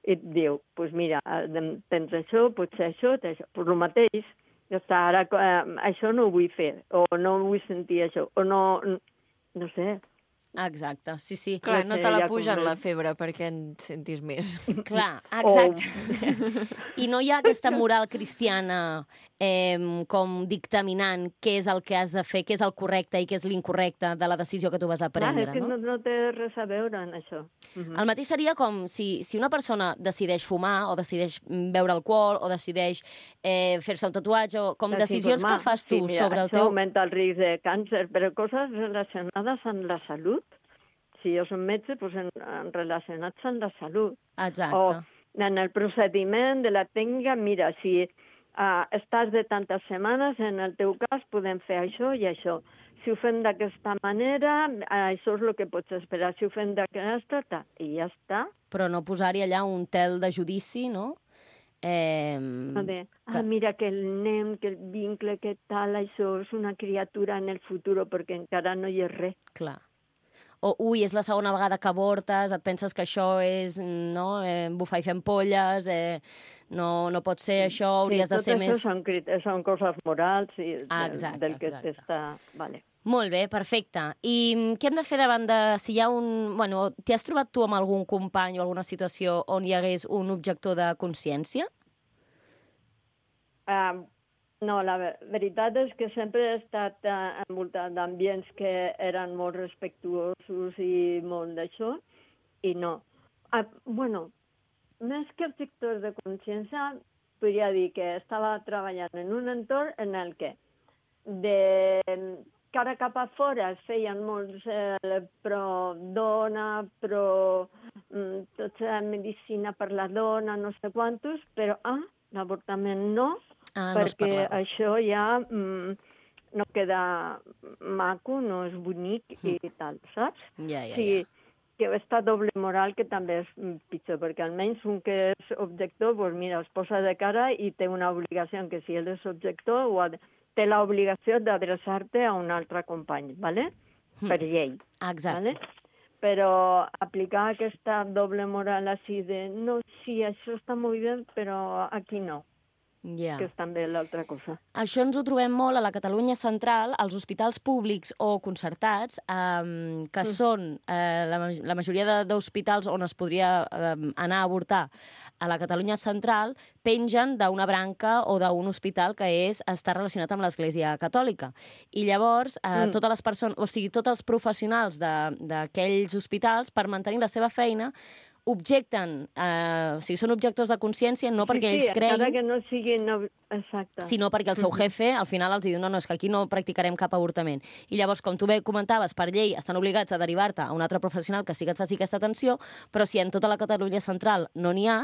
I et diu, doncs pues mira, eh, tens això, potser això, tens això. Pues el mateix, ja està, ara eh, això no ho vull fer, o no vull sentir això, o no, no sé. exacte, sí, sí. Clar, No no sé, te la ja com pugen és. la febre perquè en sentis més. Clar, exacte. I no hi ha aquesta moral cristiana eh, com dictaminant què és el que has de fer, què és el correcte i què és l'incorrecte de la decisió que tu vas a Clar, prendre, és que no? no, no té res a veure en això. Mhm. El mateix seria com si, si una persona decideix fumar o decideix mm, beure alcohol o decideix eh, fer-se un tatuatge o com decisions que Desinformar. fas tu sí, mira, sobre el això teu... augmenta el risc de càncer, però coses relacionades amb la salut. Si jo som metge, doncs en, en relacionats amb la salut. Exacte. O en el procediment de la tècnica, mira, si uh, estàs de tantes setmanes, en el teu cas podem fer això i això. Si ho fem d'aquesta manera, això és el que pots esperar. Si ho fem d'aquesta, ta, i ja està. Però no posar-hi allà un tel de judici, no? Eh, No de, que- ah, mira que el nen, que el vincle, que tal, això és una criatura en el futur, perquè encara no hi és res. Clar. O, ui, és la segona vegada que avortes, et penses que això és, no, eh, bufar i fer ampolles, eh, no, no pot ser això, hauries sí, de ser tot més... això són, crit- són coses morals i Ah, del, exacte, del que exacte. t'està... Vale. Molt bé, perfecte. I mm, què hem de fer davant de... Si hi ha un... Bueno, t'hi has trobat tu amb algun company o alguna situació on hi hagués un objector de consciència? Uh, no, la ve- veritat és que sempre he estat uh, envoltat d'ambients que eren molt respectuosos i molt d'això, i no. Uh, bueno, més que objectors de consciència, podria dir que estava treballant en un entorn en el que de cara cap a fora es feien molts eh, pro dona, pro mm, tota medicina per la dona, no sé quantos, però ah, l'avortament no, Ah, no es perquè parlava. això ja mm, no queda maco, no és bonic i tal, saps? Ja, ja, Sí, ja. que aquesta doble moral que també és mm, pitjor, perquè almenys un que és objector, doncs mira, es posa de cara i té una obligació que si ell és objector ho ha de, té l'obligació d'adreçar-te a un altre company, ¿vale? Mm. Per llei. Exacte. ¿Vale? Però aplicar aquesta doble moral així de no, sí, això està molt bé, però aquí no, Ja. que és també l'altra cosa. Això ens ho trobem molt a la Catalunya central, als hospitals públics o concertats, eh, que mm. són eh, la, ma- la majoria de- d'hospitals on es podria eh, anar a avortar a la Catalunya central, pengen d'una branca o d'un hospital que és està relacionat amb l'Església Catòlica. I llavors, eh, Mm. totes les persones, o sigui, tots els professionals de- d'aquells hospitals, per mantenir la seva feina, objecten, eh, o sigui, són objectors de consciència no perquè sí, ells sí, creguin, encara que no siguin... No... Exacte. sinó perquè el seu jefe al final els diu no, no, és que aquí no practicarem cap avortament. I llavors, com tu bé comentaves, per llei estan obligats a derivar-te a un altre professional que sí que et faci aquesta atenció, però si en tota la Catalunya central no n'hi ha,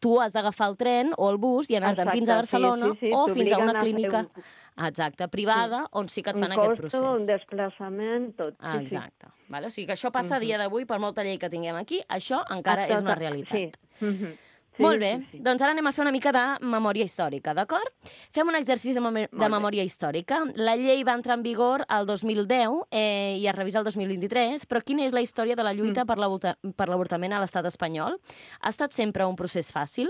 tu has d'agafar el tren o el bus i anar-te'n Exacte, fins a Barcelona sí, sí, sí, o fins a una t'obliguen a fer clínica... un- Exacte, privada, on sí que et fan un aquest costo, procés. un desplaçament, tot. Ah, sí, sí. exacte. Vale? O sigui que això passa a dia d'avui, per molta llei que tinguem aquí, això encara és una realitat. Sí. Mhm. Sí, Molt bé, sí, sí. doncs ara anem a fer una mica de memòria històrica, d'acord? Fem un exercici de, mem de memòria històrica. La llei va entrar en vigor el dos mil deu eh, i es revisa el dos mil vint-i-tres, però quina és la història de la lluita mm. per l'avortament a l'estat espanyol? Ha estat sempre un procés fàcil?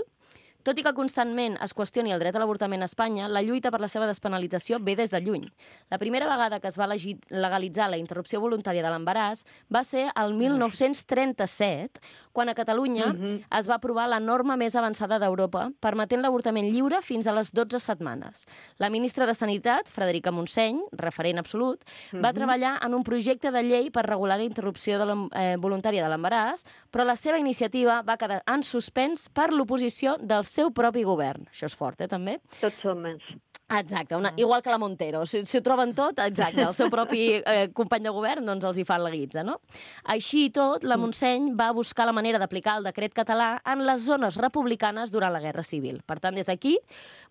Tot i que constantment es qüestioni el dret a l'avortament a Espanya, la lluita per la seva despenalització ve des de lluny. La primera vegada que es va legalitzar la interrupció voluntària de l'embaràs va ser el mil nou-cents trenta-set, quan a Catalunya Mhm. es va aprovar la norma més avançada d'Europa, permetent l'avortament lliure fins a les dotze setmanes. La ministra de Sanitat, Frederica Montseny, referent absolut, va treballar en un projecte de llei per regular la interrupció de la, eh, voluntària de l'embaràs, però la seva iniciativa va quedar en suspens per l'oposició del seu propi govern. Això és fort, eh, també? Tots som més. Exacte, una, igual que la Montero. Si, si ho troben tot, exacte, el seu propi eh, company de govern doncs els hi fan la guitza, no? Així i tot, la Montseny va buscar la manera d'aplicar el decret català en les zones republicanes durant la Guerra Civil. Per tant, des d'aquí,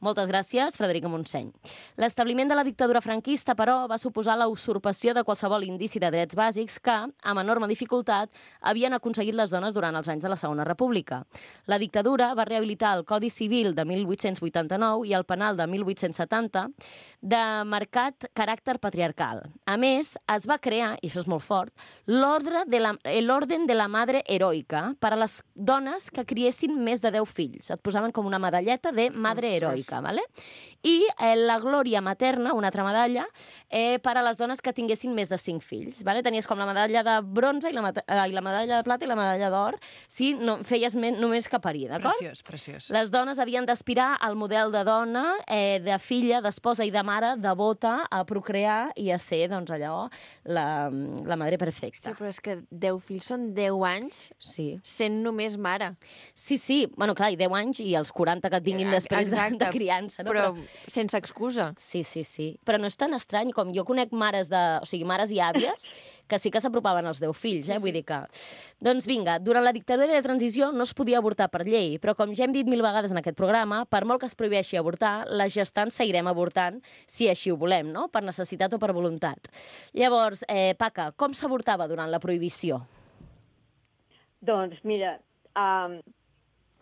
moltes gràcies, Frederica Montseny. L'establiment de la dictadura franquista, però, va suposar la usurpació de qualsevol indici de drets bàsics que, amb enorme dificultat, havien aconseguit les dones durant els anys de la Segona República. La dictadura va rehabilitar el Codi Civil de mil vuit-cents vuitanta-nou i el Penal de mil vuit-cents setanta de marcat caràcter patriarcal. A més, es va crear, i això és molt fort, l'ordre de la, l'Orden de la Madre Heroica per a les dones que criessin més de deu fills. Et posaven com una medalleta de Madre Heroica, ¿vale? I eh, la Glòria Materna, una altra medalla, eh, per a les dones que tinguessin més de cinc fills. ¿Vale? Tenies com la medalla de bronze i la, eh, i la medalla de plata i la medalla d'or si no, feies més, només que parir, d'acord? Preciós, preciós. Les dones havien d'aspirar al model de dona, eh, de filla, d'esposa i de mare, devota a procrear i a ser, doncs, allò, la, la madre perfecta. Sí, però és que deu fills són deu anys Sí. sent només mare. Sí, sí. Bueno, clar, i deu anys i els quaranta que et vinguin després de, de criança. No? Però, però sense excusa. Sí, sí, sí. Però no és tan estrany com jo conec mares de... O sigui, mares i àvies que sí que s'apropaven als deu fills, eh? Sí, sí. Vull dir que... Doncs vinga, durant la dictadura de transició no es podia avortar per llei, però com ja hem dit mil vegades en aquest programa, per molt que es prohibeixi avortar, les gestants seguirem avortant si així ho volem, no? Per necessitat o per voluntat. Llavors, eh, Paca, com s'avortava durant la prohibició? Doncs mira, um,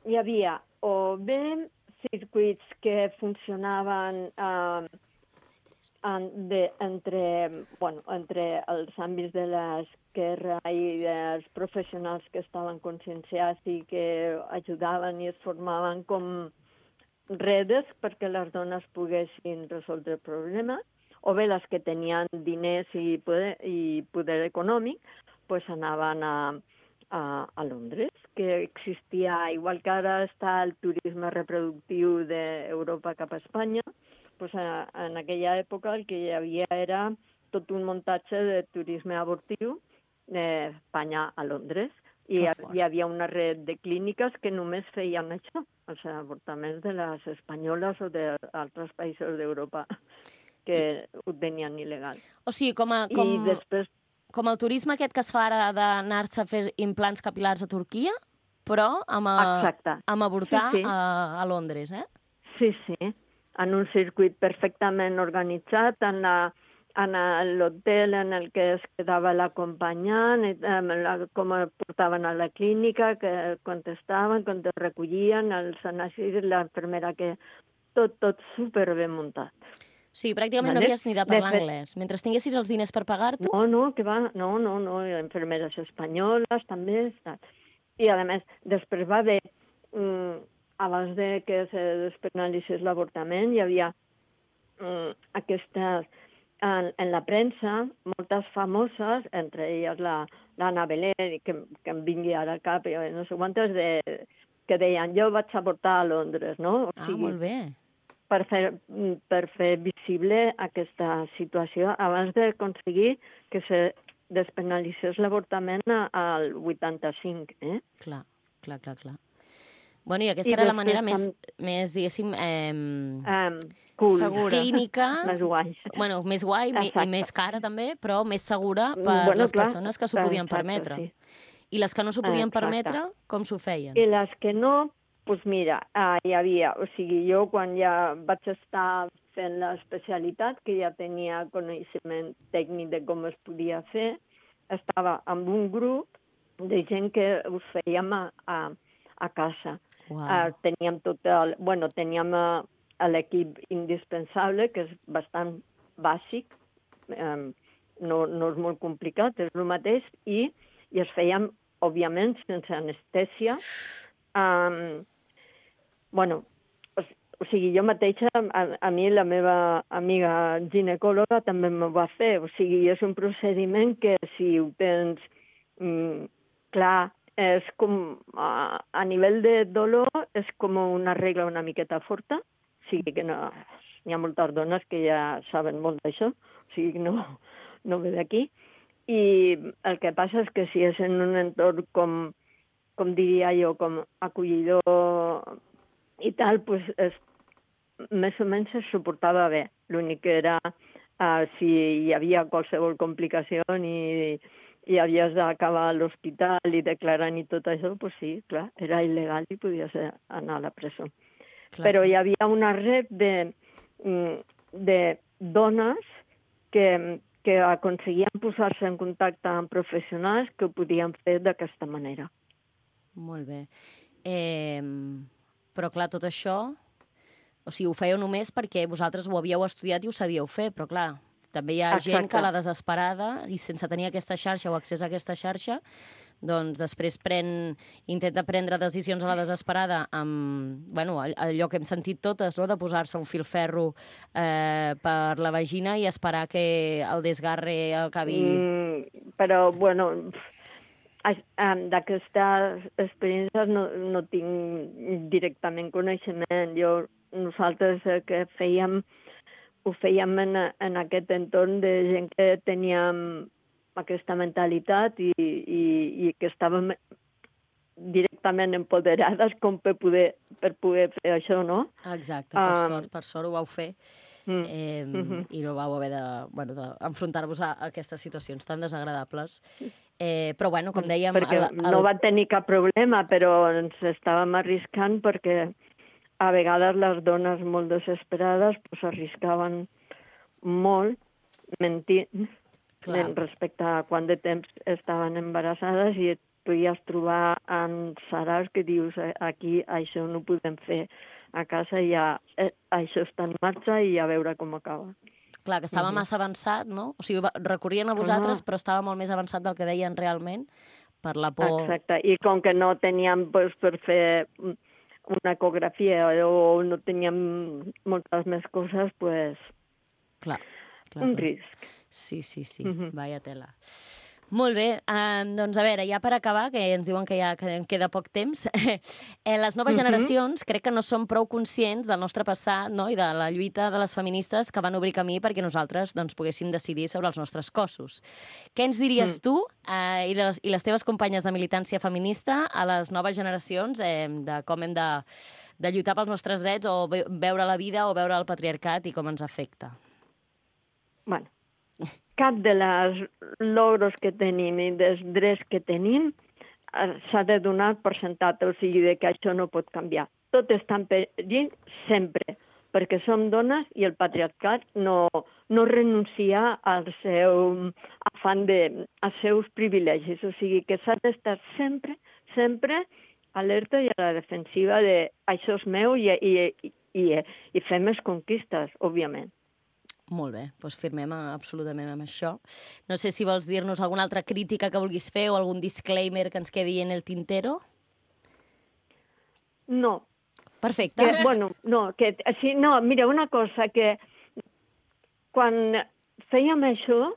hi havia o bé circuits que funcionaven um, en, de, entre, bueno, entre els àmbits de l'esquerra i dels professionals que estaven conscienciats i que ajudaven i es formaven com redes perquè les dones poguessin resoldre el problema, o bé les que tenien diners i poder, i poder econòmic, pues anaven a, a, a Londres, que existia, igual que ara està el turisme reproductiu d'Europa cap a Espanya, pues a, en aquella època el que hi havia era tot un muntatge de turisme abortiu d'Espanya a Londres. I hi havia una red de clíniques que només feien això, els avortaments de les espanyoles o d'altres països d'Europa que ho tenien il·legal. O sigui, com, a, com, I després... com el turisme aquest que es fa ara d'anar-se a fer implants capil·lars a Turquia, però amb, a, Exacte. amb avortar Sí, sí. A, a Londres, eh? Sí, sí, en un circuit perfectament organitzat, en la en l'hotel en el que es quedava l'acompanyant, com el portaven a la clínica, que contestaven, quan te recollien, els anàlisis, l'infermera, que tot, tot superben muntat. Sí, pràcticament no Vale. havies ni de parlar anglès. Mentre tinguessis els diners per pagar-t'ho... No, no, que va, no, no, no, infermeres espanyoles també. I, a més, després va haver, mm, abans de que se despenalitzés l'avortament, hi havia mm, aquestes... En, en la premsa, moltes famoses, entre elles la, l'Anna Beler, que, que em vingui ara al cap, i no sé quantes, de, que deien, jo vaig avortar a Londres, no? O Ah, sigui, molt bé. per fer, per fer visible aquesta situació abans d'aconseguir que se despenalitzés l'avortament al vuitanta-cinc, eh? Clar, clar, clar, clar. Bueno, i aquesta I era la després manera més, tam- més diguéssim, eh, Um, cool. Segura. clínica, Més guai. bueno, més guai mi- i Exacte. més cara també, però més segura per Bueno, les clar, persones que s'ho clar, podien exacte, permetre. sí. I les que no s'ho podien Exacte. permetre, com s'ho feien? I les que no, pues mira, uh, hi havia, o sigui, jo quan ja vaig estar fent l'especialitat, que ja tenia coneixement tècnic de com es podia fer, estava amb un grup de gent que us fèiem a, a, a casa. Wow. Uh, teníem tot el, bueno, teníem uh, l'equip indispensable, que és bastant bàsic, um, no, no és molt complicat, és el mateix, i, i es fèiem, òbviament, sense anestèsia. Um, bueno, o, o sigui, jo mateixa, a, a mi la meva amiga ginecòloga també m'ho va fer. O sigui, és un procediment que si ho tens mm, clar, és com, a, a nivell de dolor, és com una regla una miqueta forta. O sigui que no, hi ha moltes dones que ja saben molt d'això, o sigui que no, no ve d'aquí. I el que passa és que si és en un entorn com, com diria jo, com acollidor i tal, pues és, més o menys es suportava bé. L'únic que era uh, si hi havia qualsevol complicació i, i havies d'acabar a l'hospital i declarant i tot això, pues sí, clar, era il·legal i podies anar a la presó. Clar. Però hi havia una red de, de dones que, que aconseguien posar-se en contacte amb professionals que ho podien fer d'aquesta manera. Molt bé. Eh, però clar, tot això, o sigui, ho fèieu només perquè vosaltres ho havíeu estudiat i ho sabíeu fer, però clar, també hi ha Exacte. gent que a la desesperada i sense tenir aquesta xarxa o accés a aquesta xarxa, doncs després pren, intenta prendre decisions a la desesperada amb, bueno, allò que hem sentit totes, no?, de posar-se un filferro eh, per la vagina i esperar que el desgarre acabi... Mm, però, bueno, d'aquestes experiències no, no tinc directament coneixement. Jo, nosaltres el que fèiem, ho fèiem en, en aquest entorn de gent que teníem aquesta mentalitat i, i, i que estàvem directament empoderades com per poder, per poder fer això, no? Exacte, per um, sort, per sort ho vau fer. Mm, eh, mm-hmm. I no vau haver de, bueno, d'enfrontar-vos a aquestes situacions tan desagradables. Eh, però, bueno, com dèiem... Perquè el, el... no va tenir cap problema, però ens estàvem arriscant perquè a vegades les dones molt desesperades pues, arriscaven molt mentint Clar. respecte a quant de temps estaven embarassades i et podies trobar en sarars que dius aquí això no ho podem fer a casa, ja eh, això està en marxa i a veure com acaba. Clar, que estava uh-huh. massa avançat, no? O sigui, recorrien a vosaltres, uh-huh. però estava molt més avançat del que deien realment, per la por... Exacte, i com que no teníem pues, per fer una ecografia o no teníem moltes més coses, pues... Clar, clar. Un risc. Sí, sí, sí, uh-huh. vaya tela. Molt bé, eh, doncs a veure, ja per acabar, que ens diuen que ja que queda poc temps, eh, les noves uh-huh. generacions crec que no són prou conscients del nostre passat, no?, i de la lluita de les feministes que van obrir camí perquè nosaltres doncs, poguéssim decidir sobre els nostres cossos. Què ens diries uh-huh. tu eh, i, les, i les teves companyes de militància feminista a les noves generacions eh, de com hem de, de lluitar pels nostres drets o ve, veure la vida o veure el patriarcat i com ens afecta? Bueno, cap de les logros que tenim i dels drets que tenim s'ha de donar per sentat, o sigui, de que això no pot canviar. Tot està en perill sempre, perquè som dones i el patriarcat no, no renuncia al seu afany de, als seus privilegis. O sigui, que s'ha d'estar sempre, sempre alerta i a la defensiva de això és meu i, i, i, i, i fer més conquistes, òbviament. Molt bé, doncs firmem absolutament amb això. No sé si vols dir-nos alguna altra crítica que vulguis fer o algun disclaimer que ens quedi en el tintero. No. Perfecte. Que, bueno, no, que, sí, no, mira, una cosa, que quan fèiem això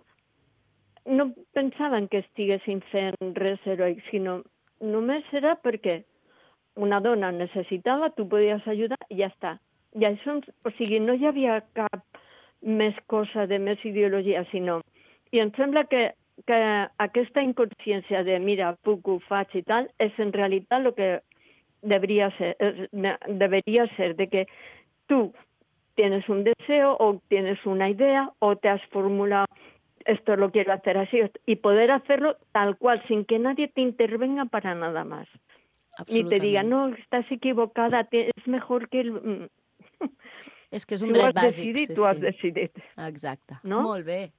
no pensaven que estiguessin fent res heroic, sinó només era perquè una dona necessitava, tu podies ajudar i ja està. I això, o sigui, no hi havia cap més cosa, de més ideologia, sinó... I em sembla que, que aquesta inconsciència de mira, puc, ho faig i tal, és en realitat el que debería ser, debería ser de que tú tienes un deseo o tienes una idea o te has formulado esto lo quiero hacer así y poder hacerlo tal cual, sin que nadie te intervenga para nada más. ni te digan, no, estás equivocada, te, es mejor que... El... És que és un tu dret has bàsic. decidit, sí, tu has sí. decidit. Exacte. No? Molt bé.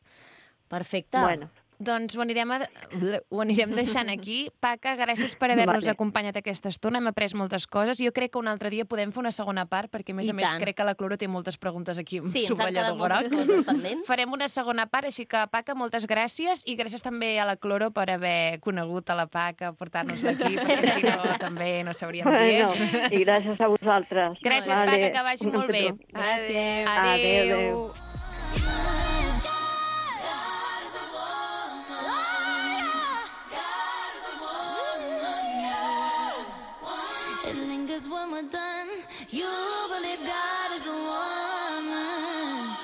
Perfecte. Bueno. Doncs ho anirem, a... ho anirem deixant aquí. Paca, gràcies per haver-nos Vale. acompanyat aquesta estona. Hem après moltes coses. Jo crec que un altre dia podem fer una segona part, perquè, a més I a més, tant. crec que la Cloro té moltes preguntes aquí amb Sí, ens han quedat subratllador moltes groc. coses pendents. Farem una segona part, així que, Paca, moltes gràcies. I gràcies també a la Cloro per haver conegut a la Paca, portar-nos-la aquí, perquè si no, també no sabríem qui Bueno, és. i gràcies a vosaltres. Gràcies, Vale. Paca, que vagi molt bé. Adéu. Adéu. Adéu. It lingers when we're done. You believe God is a woman.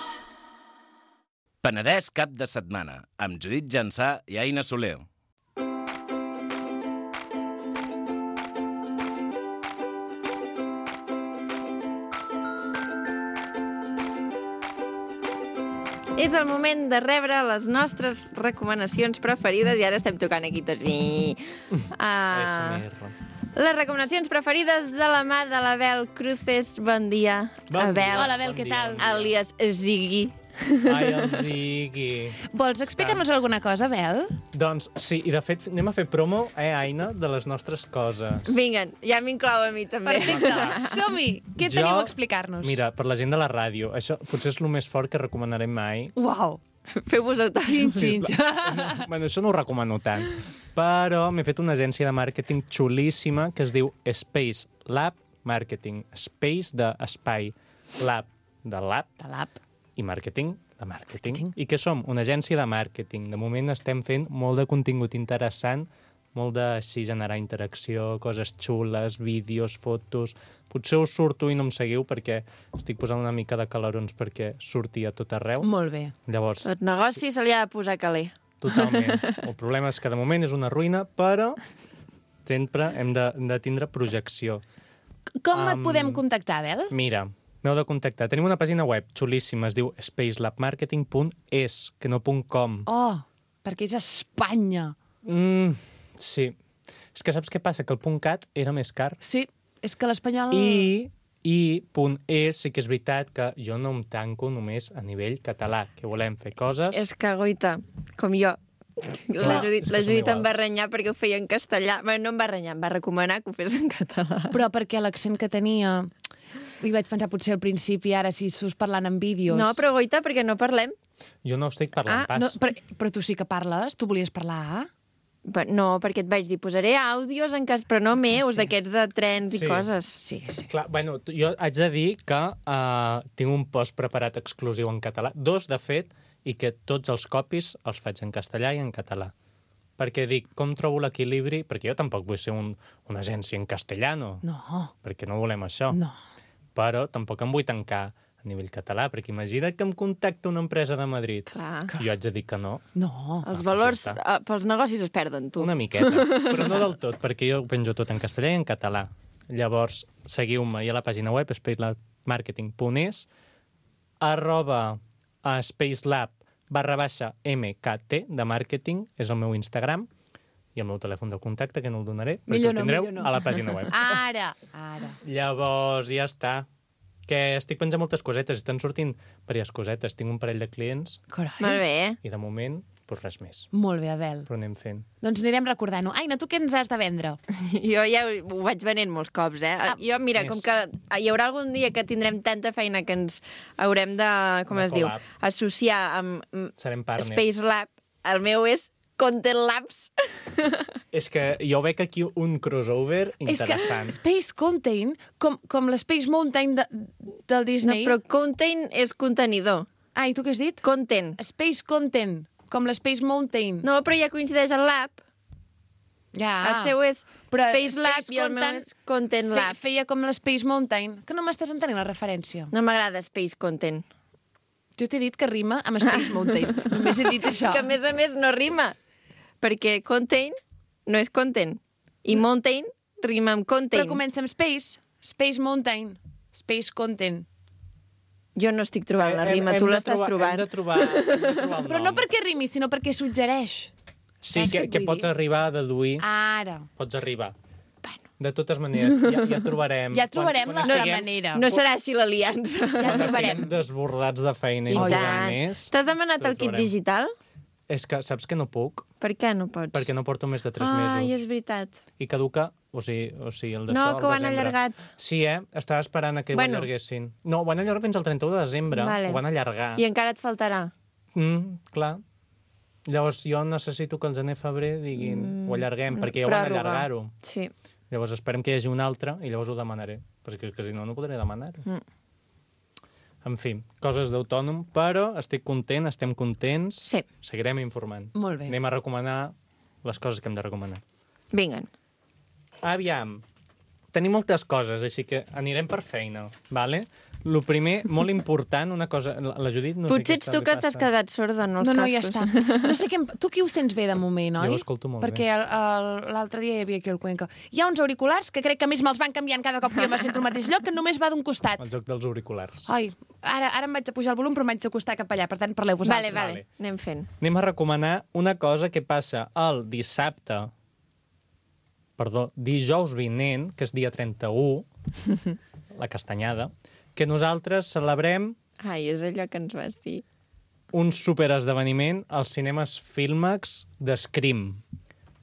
Penedès cap de setmana, amb Judit Jansà i Aina Soler. És el moment de rebre les nostres recomanacions preferides i ara estem tocant aquí tots. Uh, les recomanacions preferides de la mà de l'Abel Cruces. Bon dia, Bon Abel. dia. Hola, Abel, què tal? Alias Ziggy. Ai, el Ziggy. Vols explicar-nos alguna cosa, Abel? Doncs sí, i de fet anem a fer promo, eh, Aina, de les nostres coses. Vinga, ja m'inclou a mi també. Perfecte. Som-hi. Què Jo- teniu a explicar-nos? Mira, per la gent de la ràdio, això potser és el més fort que recomanarem mai. Uau. Feu-vos autònoms. Xin, Bueno, això no ho recomano tant. Però m'he fet una agència de màrqueting xulíssima que es diu Space Lab Marketing. Space d'espai, Lab de lab De l'app. i màrqueting de màrqueting. I què som? Una agència de màrqueting. De moment estem fent molt de contingut interessant, molt de així generar interacció, coses xules, vídeos, fotos. Potser us surto i no em seguiu perquè estic posant una mica de calarons perquè surti a tot arreu. Molt bé. Llavors, Tot negoci se li ha de posar caler. totalment. El problema és que de moment és una ruïna, però sempre hem de, de tindre projecció. Com et Am, podem contactar, Abel? Mira, m'heu de contactar. Tenim una pàgina web xulíssima, es diu spacelabmarketing punt es, que no .com. Oh, perquè és Espanya. Mm, sí. És que saps què passa? Que el .cat era més car. Sí, és que l'espanyol... I, i .es sí que és veritat que jo no em tanco només a nivell català, que volem fer coses... És que, goita, com jo. La Judit, és que la som Judit em iguals. va renyar perquè ho feia en castellà. Bé, no em va renyar, em va recomanar que ho fes en català. Però perquè l'accent que tenia... I vaig pensar potser al principi, ara, si sus parlant en vídeos... No, però goita, perquè no parlem. Jo no estic parlant Ah, pas. no, però, però tu sí que parles? Tu volies parlar? Però no, perquè et vaig dir, posaré àudios en cas, però no meus, sí. d'aquests de trens i Sí. coses. Sí, sí. Clar, bueno, t- jo haig de dir que uh, tinc un post preparat exclusiu en català, dos, de fet, i que tots els copis els faig en castellà i en català. Perquè dic, com trobo l'equilibri? Perquè jo tampoc vull ser un, una agència en castellano, No, perquè no volem això. no. Però tampoc em vull tancar a nivell català, perquè imagina't que em contacta una empresa de Madrid. Clar. Jo haig de dir que no, No. Els Ah, valors ja eh, pels negocis es perden, tu. una miqueta, però no del tot, perquè jo ho penjo tot en castellà i en català. Llavors, seguiu-me, hi ha la pàgina web, spacelabmarketing punt es, arroba a spacelab barra baixa mkt de màrqueting, és el meu Instagram, i el meu telèfon de contacte, que no el donaré, perquè Millor ho no, tindreu millor no. a la pàgina web. Ara, ara. Llavors, ja està. Que estic penjant moltes cosetes, estan sortint diverses cosetes. Tinc un parell de clients Carai. Molt bé. i de moment, doncs res més. Molt bé, Abel. Però anem fent. Doncs anirem recordant-ho. Aina, tu què ens has de vendre? Jo ja ho ho vaig venent molts cops, eh? Ah, jo, mira, com més. que hi haurà algun dia que tindrem tanta feina que ens haurem de, com De es diu, collab. associar amb mm, Serem partners. Space Lab. El meu és Content Labs. És que jo veig aquí un crossover interessant. És que Space Content, com, com l'Space Mountain de, del No, Disney... però content és contenidor. Ah, i tu què has dit? Content. Space Content, com l'Space Mountain. No, però ja coincideix el lab. Ja. El seu és Però Space Lab Space i el meu Content és Content Fe, Lab. feia com l'Space Mountain. Que no m'estàs entenent la referència. No m'agrada Space Content. Jo t'he dit que rima amb Space Mountain. Només he dit això. Que a més a més no rima. Perquè content no és content. I mountain rima amb content. Però comença amb Space. Space Mountain. Space Content. Jo no estic trobant la Hem- rima, hem tu de l'estàs trobar- trobant. Hem de trobar, hem de trobar el Però nom. no perquè rimi, sinó perquè suggereix. Sí, Saps què que, et que vull pots dir? arribar a deduir. Ara. Pots arribar. De totes maneres, ja, ja trobarem... Ja trobarem quan, la, quan la estiguem, manera. No serà així l'aliança. Ja quan trobarem. estiguem desbordats de feina i I no tant. podem més... T'has demanat ho el kit trobarem. digital? És que saps que no puc, Per què no pots? perquè no porto més de tres Ai, és mesos. veritat. I caduca, o sigui, o sigui el de No, so, que ho al han desembre. allargat. Sí, eh? Estava esperant a que Bueno. ho allarguessin. No, ho van allargar fins al trenta-u de desembre. Vale. Ho van allargar. I encara et faltarà. Mm, clar. Llavors jo necessito que el gener-febrer diguin Mm, ho allarguem, perquè ja ho van pròrroga. allargar-ho. Sí. Llavors esperem que hi hagi un altre i llavors ho demanaré, perquè és que si no, no podré demanar-ho. Mm. En fi, coses d'autònom, però estic content, estem contents. Sí. Seguirem informant. Molt bé. Anem a recomanar les coses que hem de recomanar. Vinguen. Aviam, tenim moltes coses, així que anirem per feina, vale? Lo primer, molt important, una cosa... La la Judit no Potser sé ets què tu li que t'has passa. quedat sorda en els No, no, ja cascos. està. No sé què... em- Tu qui ho sents bé de moment, oi? Jo ho escolto molt Perquè bé. el- el- l'altre dia hi havia aquí el Cuenca. Hi ha uns auriculars que crec que a més me'ls van canviant cada cop que jo me sento al mateix lloc, que només va d'un costat. El joc dels auriculars. Ai, ara, ara em vaig a pujar el volum, però m'haig d'acostar cap allà. Per tant, parleu Vale, vosaltres. vale, Vale. anem fent. Anem a recomanar una cosa que passa el dissabte, perdó, dijous vinent, que és dia trenta-u, la castanyada, que nosaltres celebrem Ai, és allò que ens vas dir. un superesdeveniment als cinemes Filmax de Scream.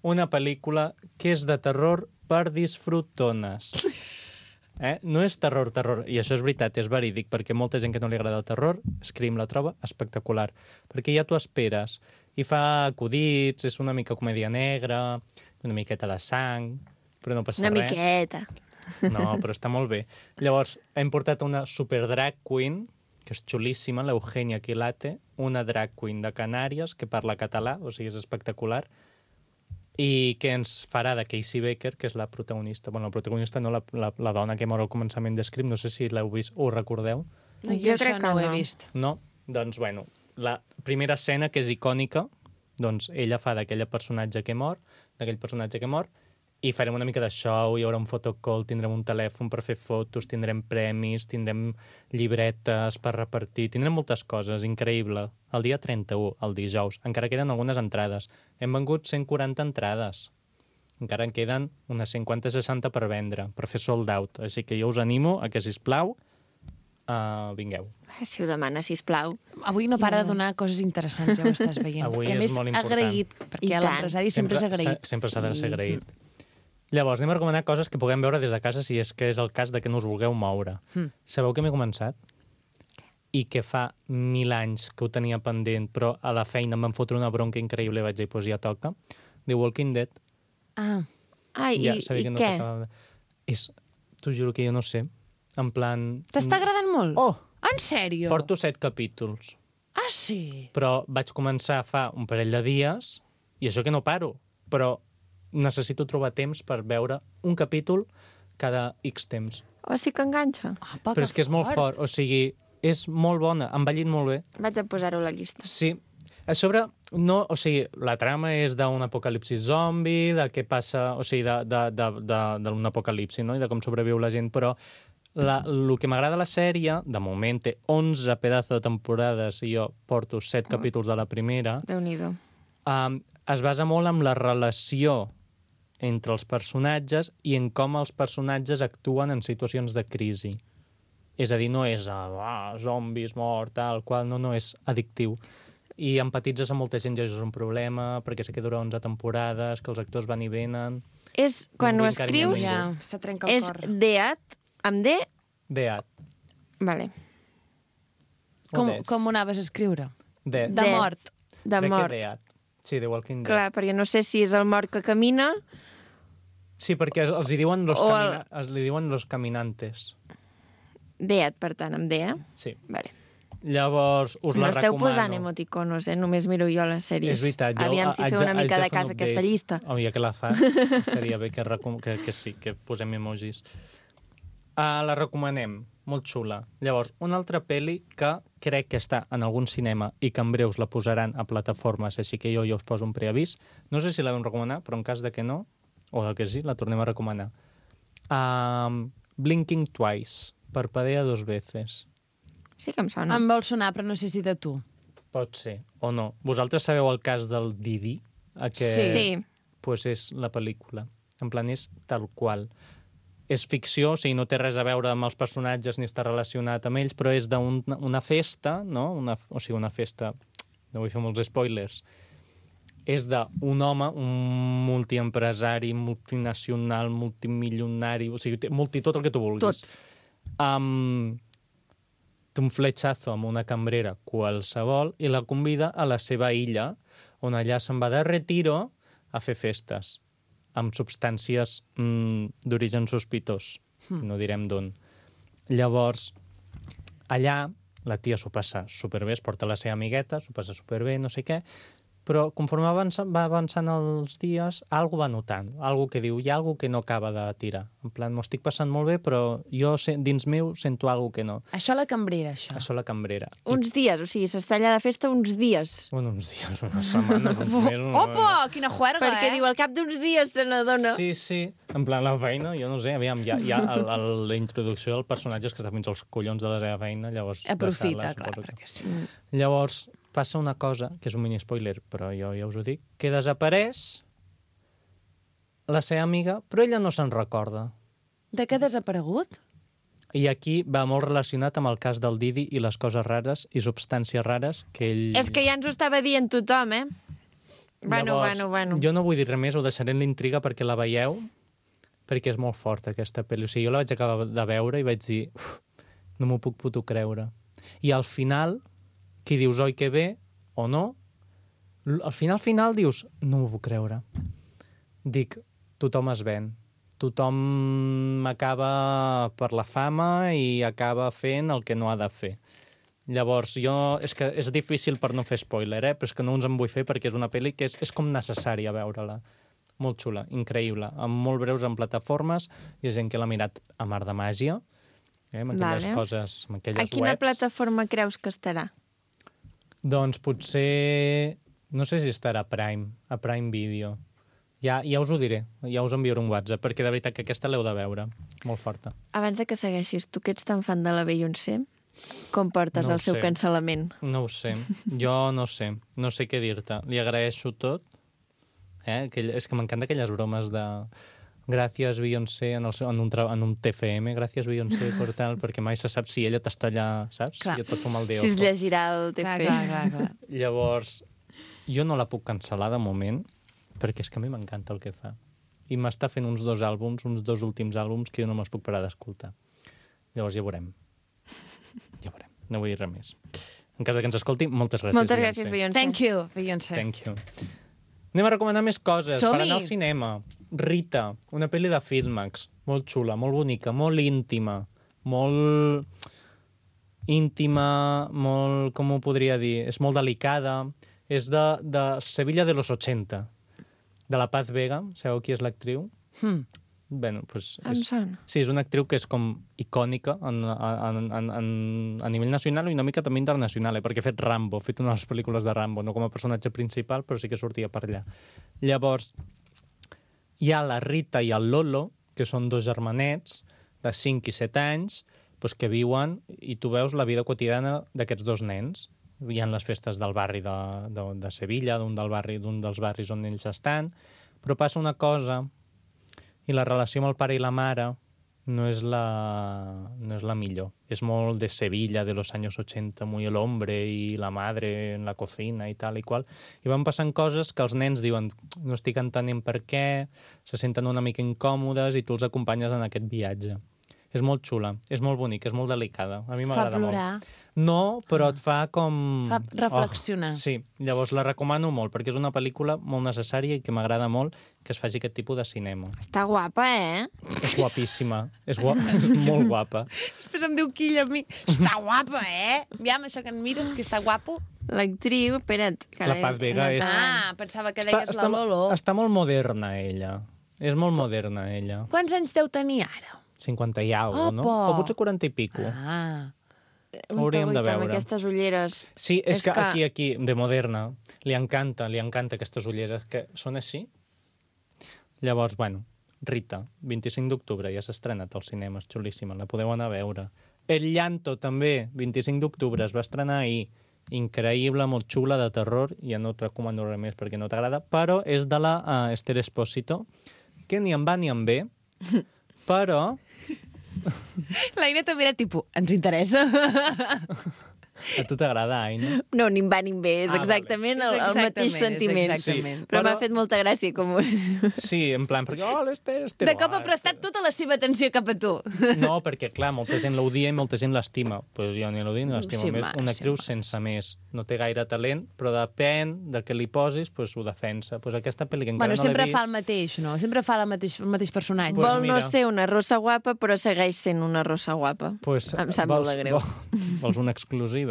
Una pel·lícula que és de terror per disfrutones. Eh? No és terror, terror. I això és veritat, és verídic, perquè molta gent que no li agrada el terror, Scream la troba espectacular. Perquè ja t'ho esperes. I fa acudits, és una mica comèdia negra, una miqueta de sang, però no passa Una res. miqueta. No, però està molt bé. Llavors, hem portat una super drag queen, que és xulíssima, l'Eugènia Quilate, una drag queen de Canàries que parla català, o sigui, és espectacular, i que ens farà de Casey Baker, que és la protagonista. Bueno, la protagonista no, la, la, la dona que mor al començament de Scream, no sé si l'heu vist o ho recordeu. No, Jo jo crec això que no ho he no. vist. No? Doncs, bueno, la primera escena, que és icònica, doncs ella fa d'aquell personatge que mor, d'aquell personatge que mor, i farem una mica de show, hi haurà un photocall, tindrem un telèfon per fer fotos, tindrem premis, tindrem llibretes per repartir, tindrem moltes coses, increïble. El dia trenta-u, el dijous, encara queden algunes entrades. Hem vengut cent quaranta entrades. Encara en queden unes cinquanta seixanta per vendre, per fer sold out. Així que jo us animo a que, sisplau, uh, vingueu. Si ho demana, sisplau. Avui no para Ja. de donar coses interessants, ja ho estàs veient. Avui I a és més, molt important. agraït, I perquè tant. l'empresari sempre és agraït. s'ha- Sempre s'ha de ser Sí. agraït. Llavors, anem a recomanar coses que puguem veure des de casa si és que és el cas de que no us vulgueu moure. Mm. Sabeu que m'he començat? I que fa mil anys que ho tenia pendent, però a la feina em van fotre una bronca increïble i vaig dir, doncs ja toca. The Walking Dead. Ah, Ai, ja i, sabia i que no què? tocava de- És, t'ho juro que jo no sé. En plan... t'està agradant molt? Oh! En sèrio? Porto set capítols. Ah, sí? Però vaig començar fa un parell de dies, i això que no paro, però necessito trobar temps per veure un capítol cada X temps. O sí que enganxa. Ah, Però és que és molt fort, o sigui, és molt bona, ha envellit molt bé. Vaig a posar-ho a la llista. Sí. A sobre, no, o sigui, la trama és d'un apocalipsis zombi, de què passa, o sigui, de, de, de, de, d'un apocalipsi, no?, i de com sobreviu la gent, però la, el que m'agrada la sèrie, de moment té onze pedazos de temporades i jo porto set Oh. capítols de la primera, Déu-n'hi-do. um, es basa molt en la relació entre els personatges i en com els personatges actuen en situacions de crisi. És a dir, no és ah, zombis, mort, tal qual, no, no, és addictiu. I empatitzes amb molta gent, ja això és un problema, perquè sé que dura onze temporades, que els actors van i venen... És, quan No ho vull encarinyar escrius, ningú. Ja, se trenca el és cor. Deat, amb D? Dead. Vale. O Com, Death. com ho anaves a escriure? Dead. De Death. mort. De Crec mort. que Dead. Sí, The Walking Dead. Clar, perquè no sé si és el mort que camina Sí, perquè els hi diuen los, O el- camina... els li diuen los caminantes. Deat, per tant, amb D, eh? Sí. Vale. Llavors, us no la esteu recomano. posant emoticonos, eh? Només miro jo les sèries. És veritat, jo Aviam si haig feu de- una haig mica de de fer un casa update. aquesta llista. Oh, ja que la fas, estaria bé que, recom... que, que sí, que posem emojis. Uh, la recomanem, molt xula. Llavors, una altra pel·li que crec que està en algun cinema i que en breus la posaran a plataformes, així que jo ja us poso un preavís. No sé si la vam recomanar, però en cas de que no, o de que sí, la tornem a recomanar. Um, Blinking Twice, Parpadea dos veces. Sí que em sona. Em vol sonar, però no sé si de tu. Pot ser, o no. Vosaltres sabeu el cas del Didi? Aquest... Sí. Pues és la pel·lícula. En plan, és tal qual. És ficció, o sigui, no té res a veure amb els personatges ni està relacionat amb ells, però és d'una un, festa, no? Una, o sigui, una festa... No vull fer molts spoilers. És d'un home, un multiempresari, multinacional, multimilionari, o sigui, multi, tot el que tu vulguis. Tot. Um, té un fletxazo amb una cambrera qualsevol i la convida a la seva illa, on allà se'n va de retiro a fer festes amb substàncies mm, d'origen sospitós, mm. no direm d'on. Llavors, allà la tia s'ho passa superbé, es porta la seva amigueta, s'ho passa superbé, no sé què, però conforme avança, va avançant els dies, algú va notant, algú que diu, hi ha algú que no acaba de tirar. En plan, m'ho estic passant molt bé, però jo dins meu sento algú que no. Això la cambrera, això. Això la cambrera. Uns dies, o sigui, s'està allà de festa uns dies. Bueno, uns dies, unes setmanes, uns mesos... Opa, quina juerga, Perquè eh? diu, al cap d'uns dies se n'adona. Sí, sí. En plan, la feina, jo no sé, aviam, hi ha, hi ha el, el, la introducció del personatge que està fins als collons de la seva feina, llavors... Aprofita, deixar-la, clar, perquè sí. Mm. Llavors, passa una cosa, que és un mini-spoiler, però jo ja us ho dic, que desapareix la seva amiga, però ella no se'n recorda. De què ha desaparegut? I aquí va molt relacionat amb el cas del Didi i les coses rares i substàncies rares que ell... És que ja ens ho estava dient tothom, eh? Bueno, Llavors, bueno, bueno. Jo no vull dir res més, ho deixaré en l'intriga perquè la veieu, perquè és molt forta aquesta pel·li. O sigui, jo la vaig acabar de veure i vaig dir, uf, no m'ho puc puto creure. I al final, qui dius, oi que bé, o no, al final, final dius, no m'ho puc creure. Dic, tothom es ven. Tothom acaba per la fama i acaba fent el que no ha de fer. Llavors, jo... És que és difícil per no fer spoiler, eh? Però és que no uns en vull fer perquè és una pel·li que és, és com necessària veure-la. Molt xula, increïble. Amb molt breus en plataformes. Hi ha gent que l'ha mirat a mar de màgia, eh? Amb aquelles Vale. coses, amb aquelles A quina webs. plataforma creus que estarà? Doncs potser... No sé si estarà a Prime, a Prime Video. Ja, ja us ho diré, ja us enviaré un WhatsApp, perquè de veritat que aquesta l'heu de veure. Molt forta. Abans de que segueixis, tu que ets tan fan de la Beyoncé, com portes No el ho seu sé. cancel·lament? No ho sé, jo no sé, no sé què dir-te. Li agraeixo tot. Eh? Aquell, és que m'encanta aquelles bromes de... Gràcies, Beyoncé, en, el seu, en, un, tra- en un T F M, gràcies, Beyoncé, per tal, perquè mai se sap si ella t'està allà, saps? Clar. I et pot fumar el de Si es ojo. llegirà el T F. Clar, clar, clar, clar. Llavors, jo no la puc cancel·lar de moment, perquè és que a mi m'encanta el que fa. I m'està fent uns dos àlbums, uns dos últims àlbums, que jo no me'ls puc parar d'escoltar. Llavors ja veurem. Ja veurem. No vull dir res més. En cas de que ens escolti, moltes gràcies, Moltes gràcies, Beyoncé. Thank you, Beyoncé. Thank you. Anem a recomanar més coses per Som-hi! anar al cinema. Rita, una pel·li de Filmax, molt xula, molt bonica, molt íntima, molt íntima, molt, com ho podria dir, és molt delicada, és de, de Sevilla de los ochenta, de la Paz Vega, sabeu qui és l'actriu? Hmm. Bueno, pues Em és, sona. sí, és una actriu que és com icònica en, en, en, en, a nivell nacional i una mica també internacional, eh? Perquè ha fet Rambo, ha fet una de les pel·lícules de Rambo, no com a personatge principal, però sí que sortia per allà. Llavors, hi ha la Rita i el Lolo, que són dos germanets de cinc i set anys, doncs, que viuen i tu veus la vida quotidiana d'aquests dos nens. Hi ha les festes del barri de, de, de Sevilla, d'un del barri, d'un dels barris on ells estan, però passa una cosa i la relació amb el pare i la mare no és la, no és la millor. És molt de Sevilla, de los años ochenta, muy el hombre y la madre en la cocina i tal i qual. I van passant coses que els nens diuen no estic entenent per què, se senten una mica incòmodes i tu els acompanyes en aquest viatge. És molt xula, és molt bonic, és molt delicada. A mi Fa m'agrada molt. plorar. No, però et fa com... Fa reflexionar. Oh, sí, llavors la recomano molt, perquè és una pel·lícula molt necessària i que m'agrada molt que es faci aquest tipus de cinema. Està guapa, eh? És guapíssima, és, gua... és molt guapa. Després em diu Quilla a mi, està guapa, eh? Aviam, això que em mires, que està guapo. L'actriu, espera't. que La l'he- Paz Vega he és- anat a- Ah, pensava que deies està, la Lolo. està molt moderna, ella. És molt moderna, ella. Quants anys deu tenir ara? cinquanta i alguna, no? Opa! O potser quaranta i pico. Ah, Uita, hauríem de uita, amb veure. aquestes ulleres. Sí, és, És que, que- aquí, aquí, de moderna, li encanta, li encanta aquestes ulleres que són així. Llavors, bueno, Rita, vint-i-cinc d'octubre, ja s'ha estrenat al cinema, és xulíssima, la podeu anar a veure. El Llanto, també, vint-i-cinc d'octubre, es va estrenar ahir. Increïble, molt xula, de terror, ja no et recomano res més perquè no t'agrada, però és de la uh, Esther Espósito, que ni em va ni em ve, però... L'Aina també era tipus, ens interessa? A tu t'agrada, Aina? No, ni em va ni em ve, és Ah, exactament vale. el, el mateix És sentiment. exactament. Sí. Però, Però- m'ha fet molta gràcia com... Sí, en plan, perquè, oh, l'este, este... De cop ha prestat tota la seva atenció cap a tu. No, perquè, clar, molta gent l'odia i molta gent l'estima. Pues jo ni l'odio ni l'estimo. Sí, Sí, ma, una sí, actriu ma. sense més. No té gaire talent, però depèn del que li posis, pues ho defensa. Pues aquesta pel·li que encara Bueno, no l'he sempre vist... fa el mateix, no? Sempre fa el mateix, el mateix personatge. Pues Vol no mira. ser una rossa guapa, però segueix sent una rossa guapa. Pues, Em sap molt de greu. Vols, vols una exclusiva?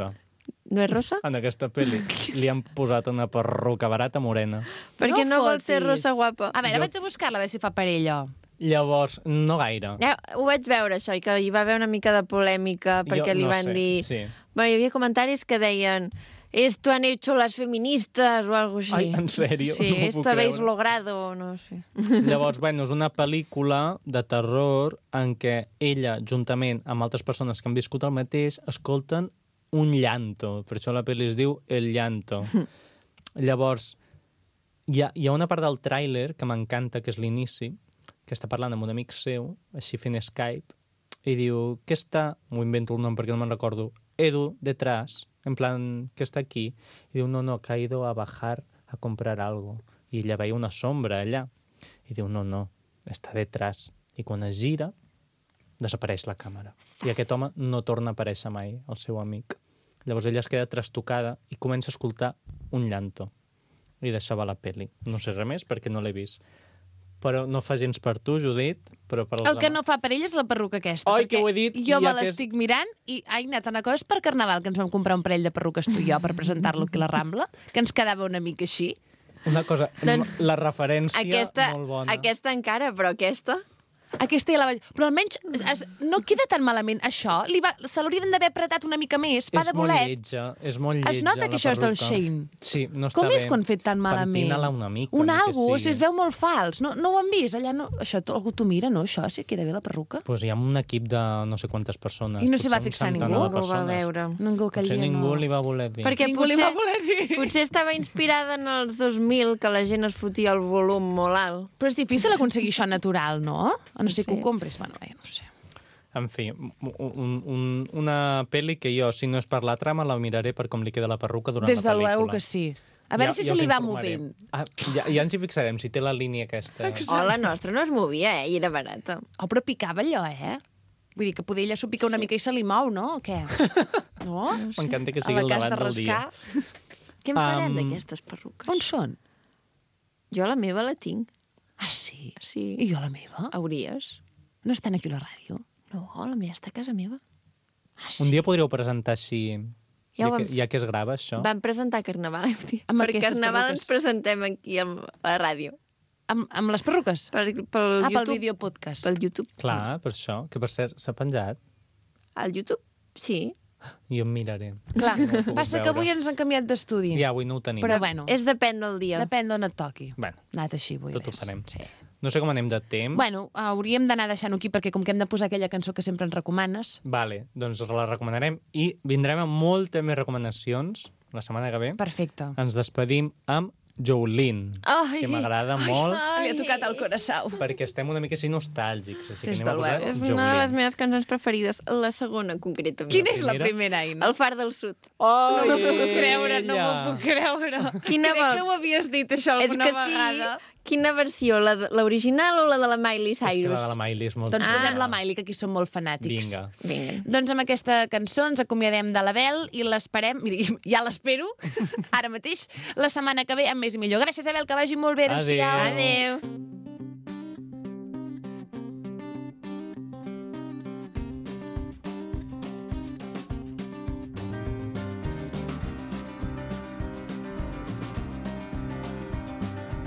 No és rossa? En aquesta pel·li li han posat una perruca barata morena. Perquè no, vol ser fotis. rossa guapa. A veure, Jo- vaig a buscar-la, a veure si fa parella. Llavors, no gaire. Ja, ho vaig veure, això, i que hi va haver una mica de polèmica perquè Jo li no van sé, dir... sí. Bueno, hi havia comentaris que deien esto han hecho las feministas o algo així. Ai, en sèrio? Sí, No m'ho esto puc habéis creure. logrado, no sé. Llavors, bueno, és una pel·lícula de terror en què ella, juntament amb altres persones que han viscut el mateix, escolten un llanto. Per això la pel·li es diu El llanto. Llavors, hi ha, hi ha una part del tràiler que m'encanta, que és l'inici, que està parlant amb un amic seu, així fent Skype, i diu, què està... M'ho invento el nom perquè no me'n recordo. Edu, detrás, en plan, què està aquí? I diu, no, no, que ha ido a bajar a comprar algo. I ella veia una sombra allà. I diu, no, no, està detrás. I quan es gira, desapareix la càmera. I aquest home no torna a aparèixer mai, el seu amic. Llavors ella es queda trastocada i comença a escoltar un llanto. I d'això va la peli. No sé res més perquè no l'he vist. Però no fa gens per tu, Judit, però per als El que ama- no fa per ell és la perruca aquesta. Oi, perquè que ho he dit, Jo i me ja que és- l'estic mirant i, Aina, te'n recordes per Carnaval que ens vam comprar un parell de perruques tu i jo per presentar-lo aquí a la Rambla? Que ens quedava una mica així? Una cosa, Doncs, la referència Aquesta, molt bona. aquesta encara, però aquesta... Aquesta ja la vaig... Però almenys es, es, no queda tan malament. Això li va, se l'haurien d'haver apretat una mica més. Fa és de molt bolet. lletja, és molt lletja Es nota la que això és del perruca. Shein. Sí, no està Com bé. és quan fet tan malament? Pentina-la una mica. Un ni que algo, sigui. si es veu molt fals. No, no ho han vist? Allà no... Això to- algú t'ho mira, no? Això, si queda bé la perruca? Pues hi ha un equip de no sé quantes persones. I no s'hi va potser un fixar centenar ningú? de Ningú ho va persones. veure. Ningú que Potser allà ningú no... li va voler dir. Perquè Ningú li potser, va voler dir. potser estava inspirada en els dos mil, que la gent es fotia el volum molt alt. Però és difícil aconseguir això natural, no? A no ser que Sí. ho compris. Bueno, bé, no sé. En fi, un, un, un, una pel·li que jo, si no és per la trama, la miraré per com li queda la perruca durant Des la de pel·lícula. luego que sí. A veure Ja- si ja se us li va informaré. movent. Ah, ja, ja ens hi fixarem, si té la línia aquesta. Oh, la nostra no es movia, eh? I era barata. Oh, però picava allò, eh? Vull dir que poder ella s'ho pica una mica i se li mou, no? O què? No? M'encanta que A sigui la el cas de debat del dia. rascar. Què en farem Am, d'aquestes perruques? On són? Jo la meva la tinc. Ah, sí? Sí. I jo la meva? Hauries? No estan aquí a la ràdio? No, la meva està a casa meva. Ah, sí? Un dia podríeu presentar així, Ja ja, ho que, vam ja que es grava això. Vam presentar Carnaval. Amb per aquestes Carnaval perruques. ens presentem aquí amb la ràdio. Amb, amb les perruques? Per, pel Ah, pel YouTube. vídeo podcast. Pel YouTube. Clar, per això, que per cert s'ha penjat. Al YouTube? Sí. Jo em miraré. Clar, No ho he pogut passa que veure. avui ens han canviat d'estudi. Ja, avui no ho tenim. Però bueno, És depèn del dia. depèn d'on et toqui. Bueno, Anat així, vull tot ho dir. farem. Sí. No sé com anem de temps. Bueno, hauríem d'anar deixant aquí perquè com que hem de posar aquella cançó que sempre ens recomanes... Vale, doncs la recomanarem i vindrem amb moltes més recomanacions la setmana que ve. Perfecte. Ens despedim amb Jolene, Ai, que m'agrada molt Li ha tocat el coração. perquè estem una mica així nostàlgics. Així que Des anem a de posar luego. És una de les meves cançons preferides. La segona, concretament. Quina és la primera? primera, Aina? El Far del Sud. Oh, No m'ho puc creure, no m'ho puc creure. Quina Crec vols? que ho havies dit, això, És alguna que vegada. sí. Quina versió? La de- L'original o la de la Miley És que Cyrus? la de la Miley és molt Doncs xula. posem la Miley, que aquí som molt fanàtics. Vinga. Vinga. Doncs amb aquesta cançó ens acomiadem de l'Abel i l'esperem, miri, ja l'espero, ara mateix, la setmana que ve amb més i millor. Gràcies, Abel, que vagi molt bé. Adéu-siau. Adéu. Adéu.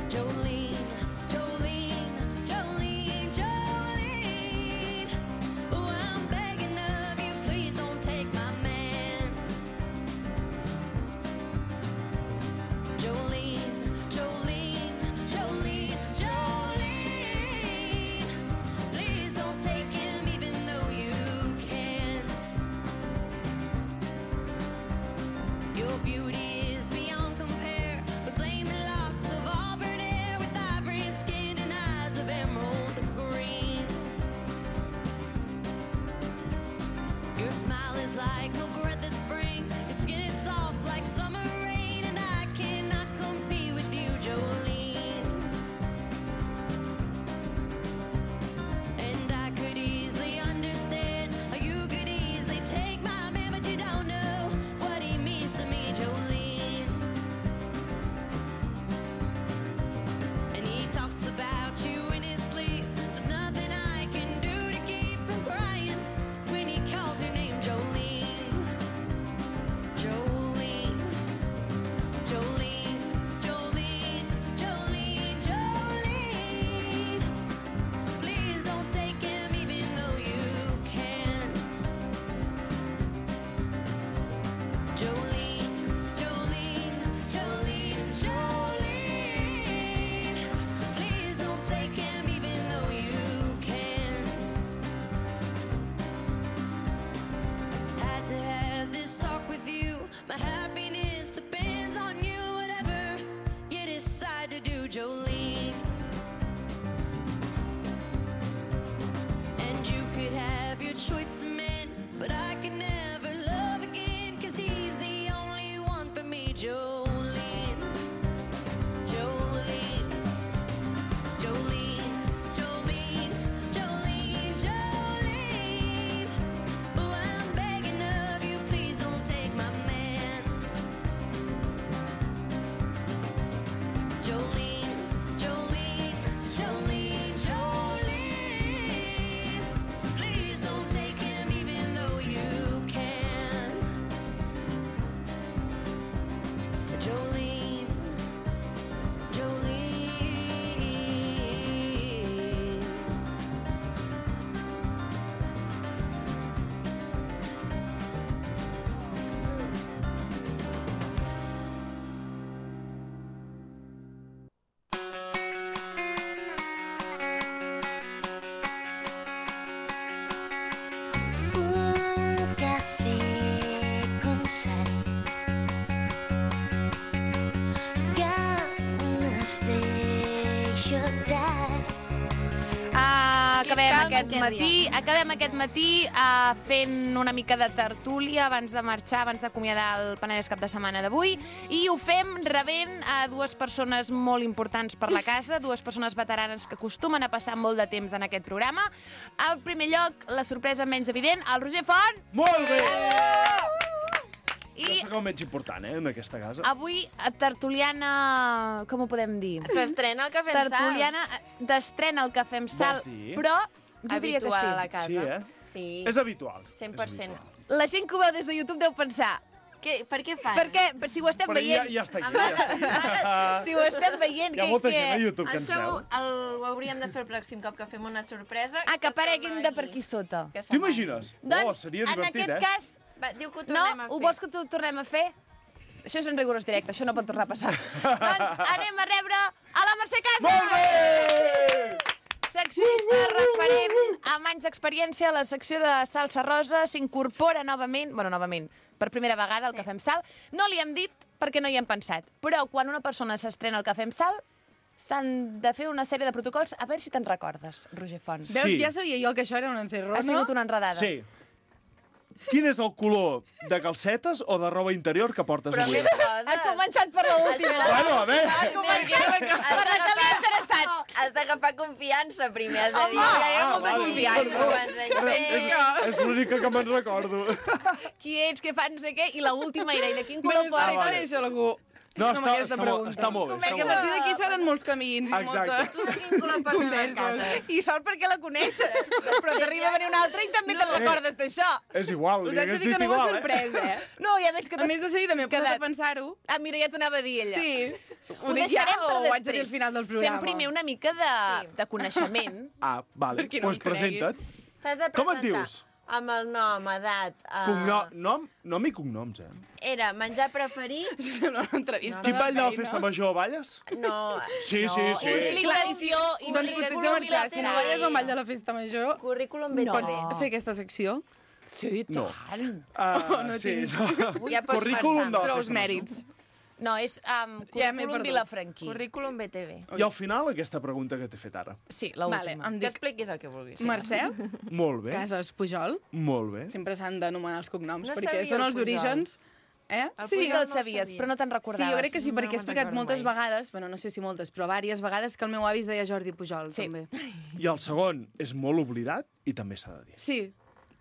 Jolene, Jolene, Jolene, Jolene. Oh, I'm begging of you, please don't take my man. Jolene, Jolene, Jolene, Jolene. Please don't take him even though you can. Your beauty is beyond compare, with flaming locks of auburn hair, with ivory skin and eyes of emerald acabem calma aquest aquest matí, acabem aquest matí uh, fent una mica de tertúlia abans de marxar, abans d'acomiadar el Penedès cap de setmana d'avui, i ho fem rebent a dues persones molt importants per la casa, dues persones veteranes que acostumen a passar molt de temps en aquest programa. En primer lloc, la sorpresa menys evident, el Roger Font. Molt bé! I Jo sóc el menys important, eh, en aquesta casa. avui, tertuliana... Com ho podem dir? S'estrena el Cafè amb Sal. Tertuliana d'estrena el Cafè amb Sal, Vols dir? però jo diria que Habitual sí. a la casa. Sí, eh? Sí, És habitual. cent per cent. És habitual. La gent que ho veu des de YouTube deu pensar, Què, per què fan? perquè si ho estem Però ja, veient, ja està aquí, ja està aquí. si ho estem veient, Hi ha que... molta que... gent a YouTube que ens Això veu. el, ho hauríem de fer el pròxim cop que fem una sorpresa. Ah, que apareguin de per aquí sota. Que s'amagui. T'imagines? Doncs, Oh, seria en divertit, aquest eh? cas, Va, diu que ho no? tornem a fer. Ho vols que t'ho tornem a fer? Això és en rigorós directe, això no pot tornar a passar. Doncs anem a rebre a la Mercè Casas! Molt bé! Seccionista referent amb anys d'experiència a la secció de Salsa Rosa, s'incorpora novament, bueno, novament, per primera vegada al Cafè amb Sal. No li hem dit perquè no hi hem pensat, però quan una persona s'estrena al Cafè amb Sal, s'han de fer una sèrie de protocols. A veure si te'n recordes, Roger Font. Sí. Veus, ja sabia jo que això era un encerro, Ha no? sigut una enredada. Sí. Quin és el color de calcetes o de roba interior que portes Però avui? més coses. Ha començat per l'última. Bueno, a veure. Ha començat per la que l'ha interessat. Has d'agafar confiança primer, has de dir... Ah, ja hi ha ah, molta vale, confiança. perdó. abans de És, fer. és l'única que me'n recordo. Qui ets, què fas, no sé què, i l'última era, i de quin Me color n'està portes? vale. vale. Això, algú. No, amb està, aquesta està, molt, pregunta. està molt bé. Com és Està que A molt partir bé. d'aquí seran molts camins i Exacte. molta... Tu de quin color portes a casa? I sort perquè la coneixes, però t'arriba a venir un altre i també te'n recordes d'això. És igual, Us li haig de hagués dir dit que no va igual, eh? sorpresa, eh? No, ja veig que A t'has... més de seguida m'he posat quedat. a pensar-ho. Ah, mira, ja t'ho anava a dir ella. Sí. Ho Ho dic ja deixarem o per ho haig de dir al després. final del programa? Fem primer una mica de, de coneixement. Ah, vale. Per qui no Doncs em cregui. presenta't. T'has de Com et presentar dius? amb el nom, edat... Uh, Cognom, nom, nom i cognoms, eh? Era menjar preferit? Això sembla una entrevista Quin de ball de la feina. festa major balles? No. Sí, sí, sí. Implicació, Doncs potser s'ha marxat. Si no balles un ball de la festa major, Currículum B T V. pots fer aquesta secció. Sí, No. tant. Uh, no sí, tinc. no. Ja pots Currículum de pensar. la Prous festa major. mèrits. No, és um, Ja m'he currículum perdut. Vilafranquí. Currículum B T V. I al final, aquesta pregunta que t'he fet ara. Sí, Vale, l'última. em Que dic expliquis el que vulguis. Mercè Molt bé, Casas Pujol. molt bé. Sempre s'han d'anomenar els cognoms, No perquè sabia són el els Pujol. orígens. Eh? El Sí Pujol que el no sabies, sabia. però no te'n Sí, recordaves. jo crec que sí, No perquè he me'n explicat recordo moltes mai. vegades, bueno, no sé si moltes, però diverses vegades que el meu avi es deia Jordi Pujol, Sí. també. I el segon és molt oblidat i també s'ha de dir. Sí,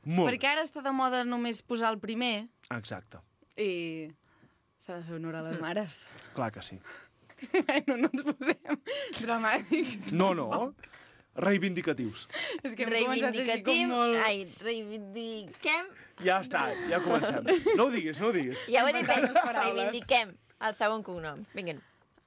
Molt perquè ara està de moda només posar el primer Exacte. i s'ha de fer honor a les mares. Clar que sí. Bueno, no ens posem dramàtics. No, no. Reivindicatius. És que hem començat així com Reivindicatiu. molt... Ai, reivindiquem... Ja està, ja comencem. No ho diguis, no ho diguis. Ja ho he dit bé. les paraules. Reivindiquem el segon cognom. Vinga.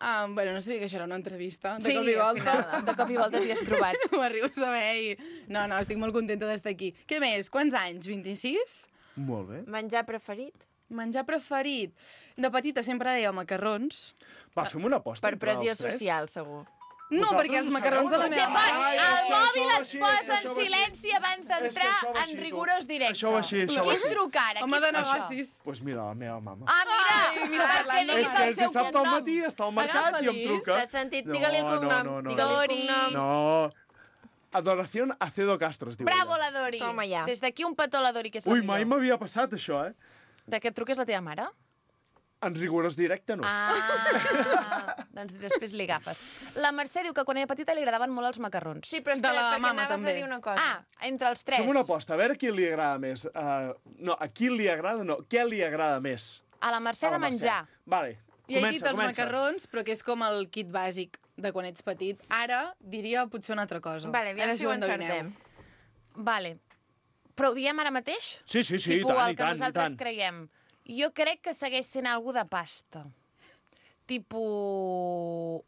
Ah, bueno, no sabia que això era una entrevista. De Sí, cop i al volta. final, de cop i volta t'hi has trobat. Ho arribo a saber i... No, no, estic molt contenta d'estar aquí. Què més? Quants anys? vint-i-sis? Molt bé. Menjar preferit? Menjar preferit? De petita sempre deia macarrons. Va, fem una aposta. Per entre pressió els tres. social, segur. No, Vosaltres perquè els ho macarrons de la sabeu, meva no? mare... Ai, El és que mòbil això va es així, posa és en que això va silenci abans És que d'entrar això va en així, tu. rigorós directe. Això va així, això va Qui així. truca ara? Home Qui de fa això? negocis. Doncs pues mira, la meva mama. Ah, mira! Ai, mira, perquè parlant de- diguis és que el és seu dissabte al cognom. matí, està al mercat i em Agafa-li. truca. T'has sentit? Digue-li el cognom. No, no, no. Digue-li el Dori. cognom. No. Adoración Acedo Castro, es diu. Bravo, ella. la Dori. Toma ja. Des d'aquí un petó a la Dori, que és la Ui, mai millor. m'havia passat això, eh? De que et truques la teva mare? En rigorós directe, no. Ah, doncs després li agafes. La Mercè diu que quan era petita li agradaven molt els macarrons. Sí, però De espera, la perquè mama, anaves també. a dir una cosa. Ah, entre els tres. Fem una aposta, a veure qui li agrada més. Uh, no, a qui li agrada, no, què li agrada més? A la Mercè A de la Mercè. menjar. Vale, I he comença, dit els comença. macarrons, però que és com el kit bàsic de quan ets petit. Ara diria potser una altra cosa. Vale, aviam Ara si ho ho endevineu. encertem. Vale. Però ho diem ara mateix? Sí, sí, sí, i Tipo tant, el i que tant, i nosaltres tant. creiem. Jo crec que segueix sent algú de pasta. Tipo...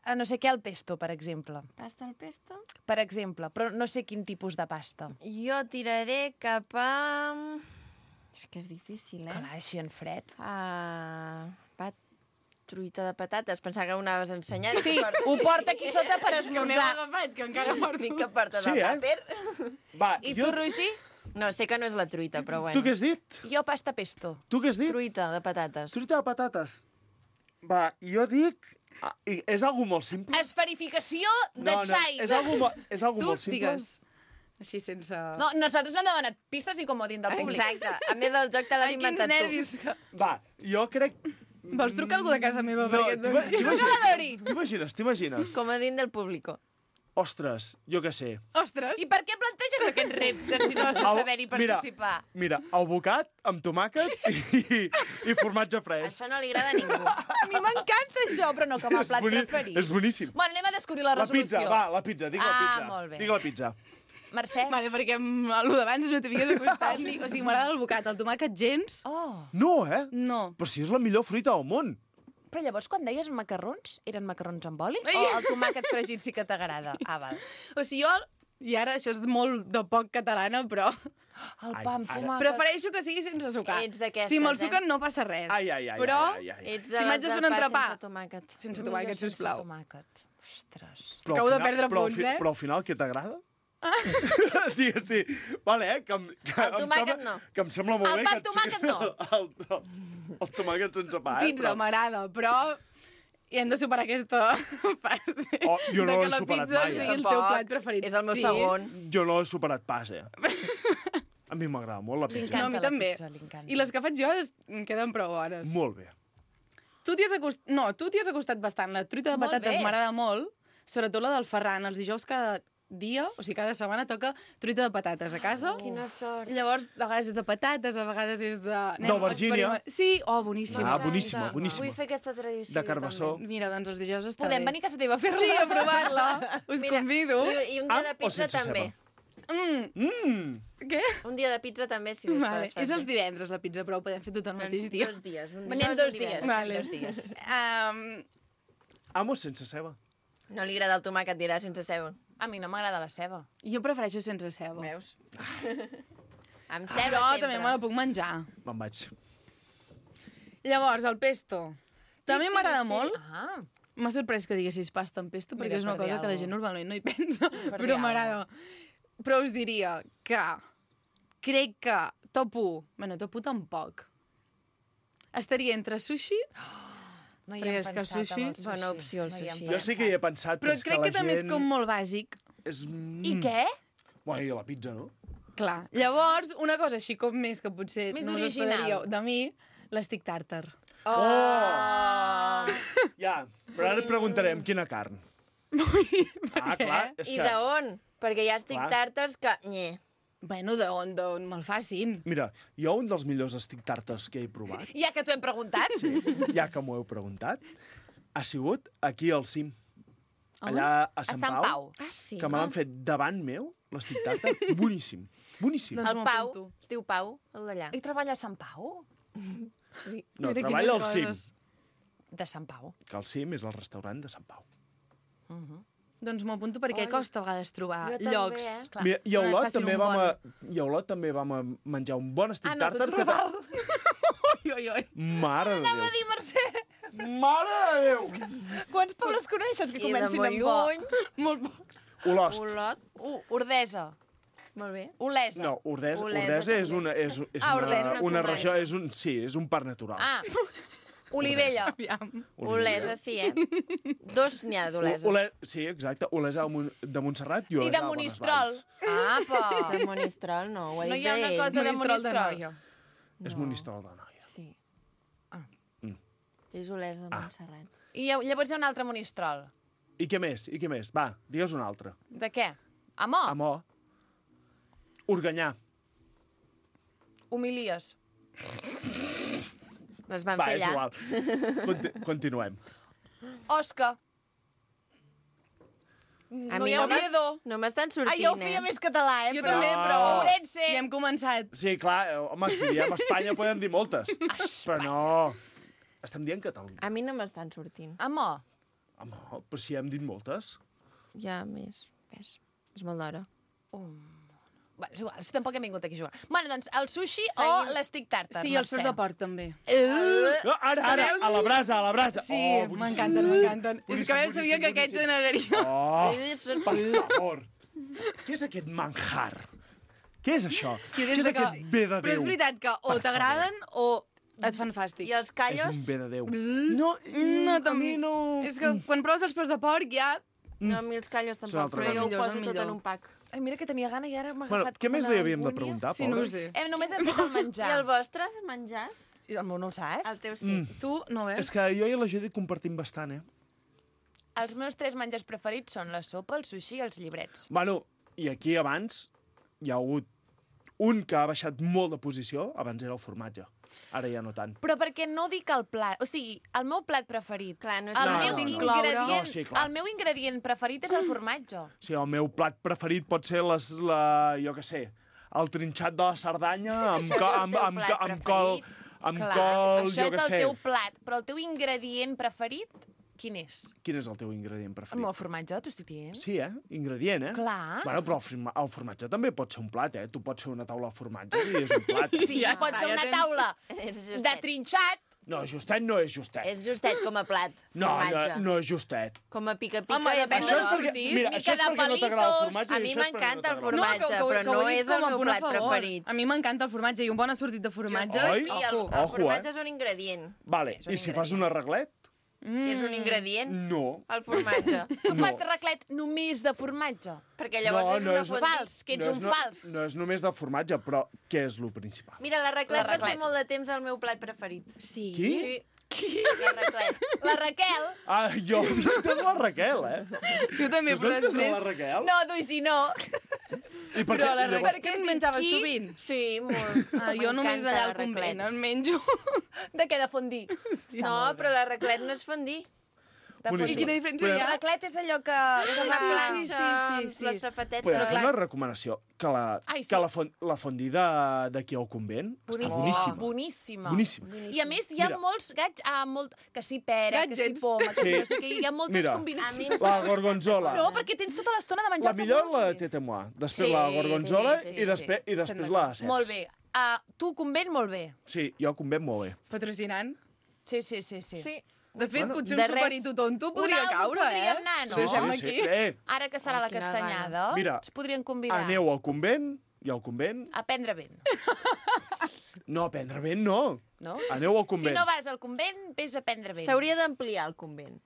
A no sé què, al pesto, per exemple. Pasta al pesto? Per exemple, però no sé quin tipus de pasta. Jo tiraré cap a... És que és difícil, eh? Clar, així en fred. Ah, pat... truita de patates. Pensava que ho anaves ensenyant. Sí, ho porta aquí sota per Que m'heu esmorzar. agafat, que encara porto. Dic que portes Sí, el eh? tàper. Va, I jo... tu, Roger? No, sé que no és la truita, però bueno. Tu què has dit? Jo pasta pesto. Tu què has dit? Truita de patates. Truita de patates. Va, jo dic Ah, i és algo molt simple? Esferificació de No, no, xai. és algo, mo- és algo Tu molt simple? digues. Així sense... No, nosaltres no hem demanat pistes ni comodín del públic. Exacte. A més, el joc te l'has Ai, quins inventat nervis. tu. Va, jo crec... Vols trucar a algú de casa meva? No, perquè et t'ima- doni- t'imagines, t'imagines, t'imagines. Comodín del público. Ostres, jo què sé. Ostres! I per què planteges aquest repte si no has de Au, saber-hi participar? Mira, mira, albocat amb tomàquet i, i formatge fresc. Això no li agrada a ningú. A mi m'encanta això, però no com a És plat boni- preferit. És boníssim. Bueno, anem a descobrir la La resolució. pizza, va, la pizza, dic la Ah, pizza. molt bé. Dic la pizza. Mercè? Vale, perquè amb el d'abans no t'havia de costar ni... O sigui, m'agrada el bocat, el tomàquet gens... Oh. No, eh? No. Però si és la millor fruita del món. Però llavors, quan deies macarrons, eren macarrons amb oli? Ai. O el tomàquet fregit sí que t'agrada? Sí. Ah, val. O sigui, jo... I ara això és molt de poc catalana, però... El Ai, pa amb ara. tomàquet. Prefereixo que sigui sense sucar. Ets d'aquestes, Si me'l eh? suquen no passa res. Ai, ai, ai, Però ai, ai, ai. Ets de si m'haig les de fer del un pa entrepà... sense tomàquet. Sense tomàquet, Millor sense sisplau. tomàquet. Ostres. Però al Acabo de final- perdre però al punts, eh? Però al final, què t'agrada? Digues, sí. Vale, eh? Que, em- que El em tomàquet sembla, no. Que em sembla molt El bé pa que... amb tomàquet no. El, el, el tomàquet sense pa, eh? Pizza m'agrada, però... I hem de superar aquesta fase. Oh, jo no de l'he que la superat pizza mai, eh? sigui el teu Tampoc. plat preferit. És el meu sí. segon. Jo no he superat pas, eh? A mi m'agrada molt la pizza. No, a mi la també. pizza, li encanta. I les que faig jo es... em queden prou bones. Molt bé. Tu t'hi has acostat... No, tu t'hi has acostat bastant. La truita de Molt patates bé. m'agrada molt, sobretot la del Ferran. Els dijous cada dia, o sigui, cada setmana toca truita de patates a casa. Oh. Quina sort. Llavors, a vegades és de patates, a vegades és de... D'aubergínia. experiment- Sí, oh, boníssim. Ah, boníssima, boníssima. Vull fer aquesta tradició. De carbassó. també. Mira, doncs els dijous està Podem bé. venir a casa teva a fer-la? Sí, a provar-la. Us Mira, convido. I, I un dia Amb de o pizza sense també. Mm, Mmm! què? Un dia de pizza també, si les Vale. coses fas És els bé. divendres, la pizza, però ho podem fer tot el mateix Doncs dia. dos dies. Un Venim dijous i dos un divendres. dies. Vale. Dos dies. Um, Amo sense ceba. No li agrada el tomàquet, dirà, sense ceba. A mi no m'agrada la ceba. jo prefereixo sense ceba. Veus? Amb ceba Però sempre. també me la puc menjar. Me'n vaig. Llavors, el pesto. També m'agrada molt. Ah, M'ha sorprès que diguessis pasta amb pesto, perquè Mira, és una per dir cosa que la alguna gent normalment no hi pensa, Per dir però m'agrada. Però us diria que crec que top u, bueno, top u tampoc, estaria entre sushi, no hi Perquè hem és que pensat sushi- amb el sushi. Bona opció, el No hi hem sushi. Jo sí que hi he pensat, però és crec que que, la també gent... és com molt bàsic. És... Mm. I què? Bueno, i la pizza, no? Clar. Llavors, una cosa així com més que potser Més no us original. esperaríeu de mi, l'estic tàrtar. Oh! Ja, però ara et preguntarem quina carn. Ah, clar, és I que... d'on? Perquè hi ha estic Clar. tàrtars que... Nye. Bueno, d'on, d'on me'l facin. Mira, jo un dels millors estic tàrtars que he provat, Ja que t'ho hem preguntat. sí, ja que m'ho heu preguntat, ha sigut aquí al cim. Allà a Sant, Sant Pau. Ah, sí? que me l'han fet davant meu, l'estic tàrtar, boníssim, boníssim. Doncs El m'ho Pau, apunto. es diu Pau, el d'allà. I treballa a Sant Pau? No, Mira treballa al quines cim, coses. De Sant Pau. que al cim és el restaurant de Sant Pau. Doncs m'ho apunto perquè Ai. costa a vegades trobar Jo també, llocs. eh? Clar. Mira, i a on et Olot facin també, un vam a, bon. i a Olot també vam a menjar un bon estic Ah, no, tu tàrtar. ets que Rodal. Ui, ui, ui. Mare de Anava a Déu. dir, Mercè, Mare de Déu. quants pobles coneixes que I de comencin molt amb bo? lluny. Molt pocs. Olost. Olot. Uh, Ordesa. Molt bé. Olesa. No, Ordesa, Olesa Ordesa és també. una, és, és Ah, una, Ordesa. una regió, és un, sí, és un parc natural. Ah, Olivella. Aviam. Olesa, sí, eh? Dos n'hi ha d'Oleses. Ole, sí, exacte. Olesa de Mon- de Montserrat i I Olesa de de Monistrol. Bonesvalls. Apa. De Monistrol, no, ho ha No dit hi ha una ell. cosa de Monistrol de Monistrol. Noia. És Monistrol de Noia. Sí. Ah. Mm. És Olesa de Ah. Montserrat. I llav- llavors hi ha un altre Monistrol. I què més? I què més? Va, digues un altre. De què? Amor. Amor. Organyà. Humilies. Les van Va, fer és allà. igual. Conti continuem. Osca. A No mi hi ha no una... Oviedo. No m'estan Ah, sortint, jo ho feia eh? més català, eh? Jo però... també, No. però... Ourense. Ja hem començat. Sí, clar, eh, home, si diem Espanya podem dir moltes. Però no. Estem dient Catalunya. A mi no m'estan sortint. Amor. Home, però si hem dit moltes. Ja més, ves. És molt d'hora. Bueno, és igual, si tampoc hem vingut aquí a jugar. Bueno, doncs, el sushi o Seguim. l'estic tàrtar, Sí, els peus de porc també. No, ara, ara, Veus? a la brasa, a la brasa. Sí, Oh, boníssim. m'encanten, m'encanten. És Boníssim, que a més boníssim, sabia que aquest boníssim. generaria... Oh, per favor. Què és aquest manjar? Què és això? Jo Què des és de que... aquest bé de Però és Déu? veritat que o Per t'agraden o Et fan fàstic. I els callos? És un bé de Déu. No, No, a mi no... És que quan proves els peus de porc ja... No, a mi els callos Són tampoc, altres però jo ho millors, poso el tot millor. en un pack. Ai, mira que tenia gana i ara m'ha Bueno, agafat què més una li havíem de angúnia. preguntar, Sí, no ho pobre? sé. Hem, només hem fet el menjar. I el vostre, menjars? I el meu no el saps? El teu sí. Mm. Tu no És ves? que jo i la Judit compartim bastant, eh? Els meus tres menjars preferits són la sopa, el sushi i els llibrets. Bueno, i aquí abans hi ha hagut un que ha baixat molt de posició, abans era el formatge. Ara ja no tant. Però perquè no dic el plat... O sigui, el meu plat preferit... Clar, no és el, No, meu no, no. ingredient, No, sí, clar. el meu ingredient preferit és el formatge. O sigui, el meu plat preferit pot ser les, la, jo què sé, el trinxat de la Cerdanya amb, co, amb, amb, amb, amb col, amb Clar, col, això jo és què el sé. teu plat, però el teu ingredient preferit, quin és? Quin és el teu ingredient El preferit? meu formatge, t'ho estic dient. Sí, eh? Ingredient, eh? Clar. Bueno, però el, forma, el formatge també pot ser un plat, eh? Tu pots fer una taula de formatge i és un plat. Sí, Ja ja pots està, fer ja una tens- taula És de justet. trinxat. No, justet no és justet. És justet com a plat, No, no, formatge. no és justet. Com a pica-pica. Home, de depèn sabor. del sortit. Mira, mica això és de perquè no t'agrada el palitos. formatge. A i mi això és perquè m'encanta el no t'agrada. formatge, ho- però ho no he dit és el com a meu punt a plat favor. preferit. A mi m'encanta el formatge i un bon assortit de formatge. Oi? Sí, el, Ojo. el Ojo, formatge eh? és un ingredient. Vale, un i si fas un arreglet? És un ingredient, No. el formatge. Tu fas raclet només de formatge. Perquè llavors és una és, fondue. Fals, que ets no és un no, fals. No és només de formatge, però què és lo principal? Mira, la raclet va ser raclet. molt de temps el meu plat preferit. Sí. Qui? Sí. Qui? La raclet. La Raquel... Ah, jo havia entès la Raquel, eh? Jo també, Tu però has entès després... la Raquel? No, Duisi, no. I per Però què? la Llavors- Raquel que es menjava Qui? sovint. Sí, molt. Ah, jo només M'encanta allà la al convent raclet. en menjo. De què, de fondí? No, però la raclet no és fondí. De Boníssim. I quina diferència Podem- hi ha? Raclet és allò que... És que la va- planxa, sí, sí, sí. la safatetes. Podem fer clar. una recomanació, que la, Ai, sí. que la, fon, la fondí de- d'aquí al convent està boníssima. Boníssima. Boníssima. I a més hi ha Mira. molts gats, ah, molt, que sí pera, que sí Gadgets. poma, que sí, Sí. no sé què, hi ha moltes Mira. combinacions. La gorgonzola. No, perquè tens tota l'estona de menjar La millor el que la de vulguis. tete moi, després Sí, la gorgonzola sí, sí, i, després, sí. i després la de ceps. Molt bé. Uh, tu, convent, molt bé. Sí, jo al convent molt bé. Ah, Patrocinant. Sí, sí, sí. sí. Sí. De fet, Bueno, potser de un res. superito tonto podria Un algo caure, eh? podríem anar, no? Ho deixem sí, sí. aquí. Eh, Ara que serà Oh, la quina castanyada, Mira, ens podrien convidar aneu al convent i al convent... a prendre vent, No, a prendre vent no. no? Aneu al Si convent. no vas al convent, vés a prendre vent. S'hauria d'ampliar el convent.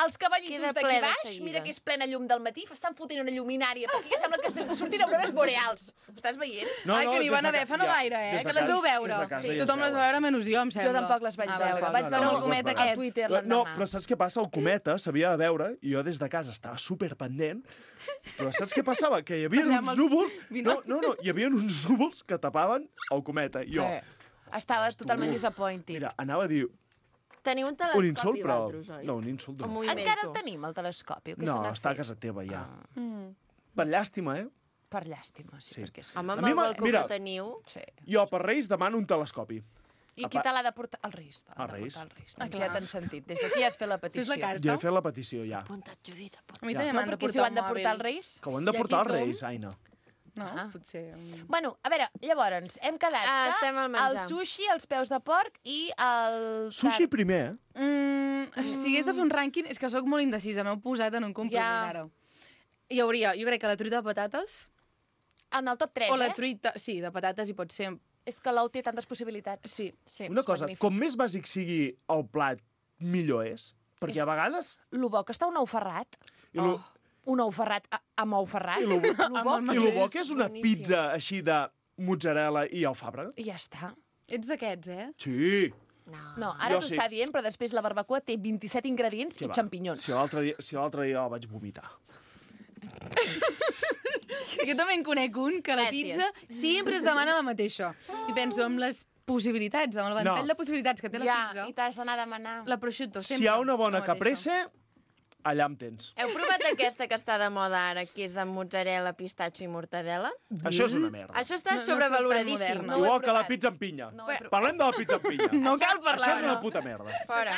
Els cavallitos Queda d'aquí ple de baix, seguida. mira que és plena llum del matí, estan fotent una lluminària, perquè que sembla que se- sortin aurores boreals. Ho estàs veient? No, Ai, no, que n'hi des van de haver ca- fa no ja, gaire, eh? des de Que les veu casa- veure. des de casa Sí. ja es Tothom les va veuen. veure menys jo, em sembla. Jo tampoc les vaig Ah, veure. vale, Vaig vale. veure No, el les comet veuràs. a Twitter No, l'endemà. però saps què passa? El cometa s'havia de veure i jo des de casa estava superpendent. Però saps què passava? Que hi havia Allà amb uns els núvols... No, binocs. no, no, hi havia uns núvols que tapaven el cometa. I jo, Eh, Estaves totalment disappointed. mira, anava a dir Teniu un un telescopi, insult, però... vosaltres, oi? No, un insult O no. m'ho Encara el invento. tenim, el telescopi? o què No, se n'ha està a fet? casa teva ja. Mm. Per llàstima, eh? Per llàstima, sí, Sí. perquè sí. Home, A amb mi el m'ha- balcó mira. que teniu... sí. Jo per Reis demano un telescopi. I A qui pa- te l'ha de portar? El Reis. te l'ha El de Reis. portar El Reis. Ah, Doncs clar. ja t'han sentit. Des d'aquí has fet la petició. Fes la carta. Ja he fet la petició, ja. Apunta't, Judit, apunta't. A mi Ja. també No, m'han de perquè si ho portar han de un portar mòbil. els Reis... Que ho han de I portar els aquí som? Reis, Aina. No, Ah. potser... mm. Bueno, a veure, llavors, hem quedat Ah, que estem al menjar. el sushi, els peus de porc i el... Sushi primer, eh? Mm, si hagués de fer un rànquing, és que sóc molt indecisa, m'heu posat en un compromís Ja. ara. Hi hauria, jo crec que la truita de patates, En el top tres, o la eh? truita, sí, de patates hi pot ser, És que l'ou té tantes possibilitats. sí. Sí. Una cosa, magnífic. com més bàsic sigui el plat, millor és. Perquè És- a vegades... Lo bo que està un ou ferrat. I lo, Un ou ferrat a- amb ou ferrat. I lo, Lo bo Amb el i que lo bo és. que és una boníssim. pizza així de mozzarella i alfàbrega. I ja està. Ets d'aquests, eh? Sí. No. No, ara Jo t'ho sí. està dient, però després la barbacoa té vint-i-set ingredients Què i va? xampinyons. Si l'altre dia, si l'altre dia el vaig vomitar. Sí, jo també en conec un que a la Gràcies. pizza sempre es demana la mateixa. I penso amb les possibilitats, amb el ventall No. de possibilitats que té la Ja, pizza. i t'has d'anar a demanar. La prosciutto, sempre. Si hi ha una bona la mateixa. caprese, allà em tens. Heu provat aquesta que està de moda ara, que és amb mozzarella, pistatxo i mortadela? Això és una merda. Això està No- no soc tan sobrevaloradíssim. moderna. No ho he Igual que la provat. pizza amb pinya. No ho he provat. Parlem de la pizza amb pinya. No cal Això parlar, és una no. puta merda. Fora.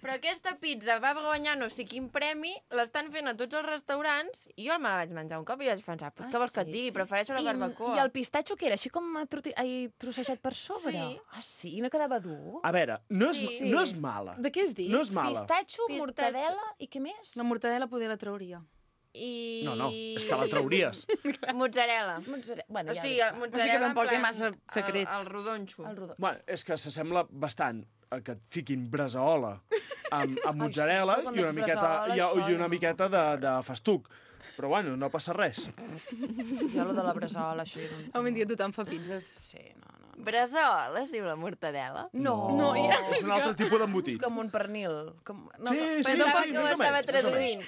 Però aquesta pizza va guanyar no sé quin premi, l'estan fent a tots els restaurants, i jo me la vaig menjar un cop i vaig pensar, Ah, què vols que et sí? digui? Prefereixo la I, barbacoa. I el pistatxo que era? Així com troti... Ai, trossejat per sobre? Sí. Ah, sí? I no quedava dur? A veure, no és, Sí. no és mala. De què has dit? No és mala. Pistatxo, Pistatxo. mortadela i què més? La mortadela poder la trauria. i... No, no, és que la trauries. Mozzarella. Mozzarella. Bueno, O ja sigui, dic. mozzarella O sigui que tampoc en té plan massa secret. El, el rodonxo. El rodó. Bueno, és que s'assembla bastant a que et fiquin brasaola amb, amb mozzarella sí, quan i una veig miqueta, brasaola, i, això i una ja no. miqueta de, de festuc. Però bueno, no passa res. Jo, lo de la braçola, això... Jo no... Avui en dia tothom fa pizzas. Sí, no, no. Brasaola es diu la mortadela? No, No, ja. És un altre tipus És d'embotit. com un pernil. Com... No, Sí, no. sí, Però tampoc sí, Com més o estava menys. més o traduint?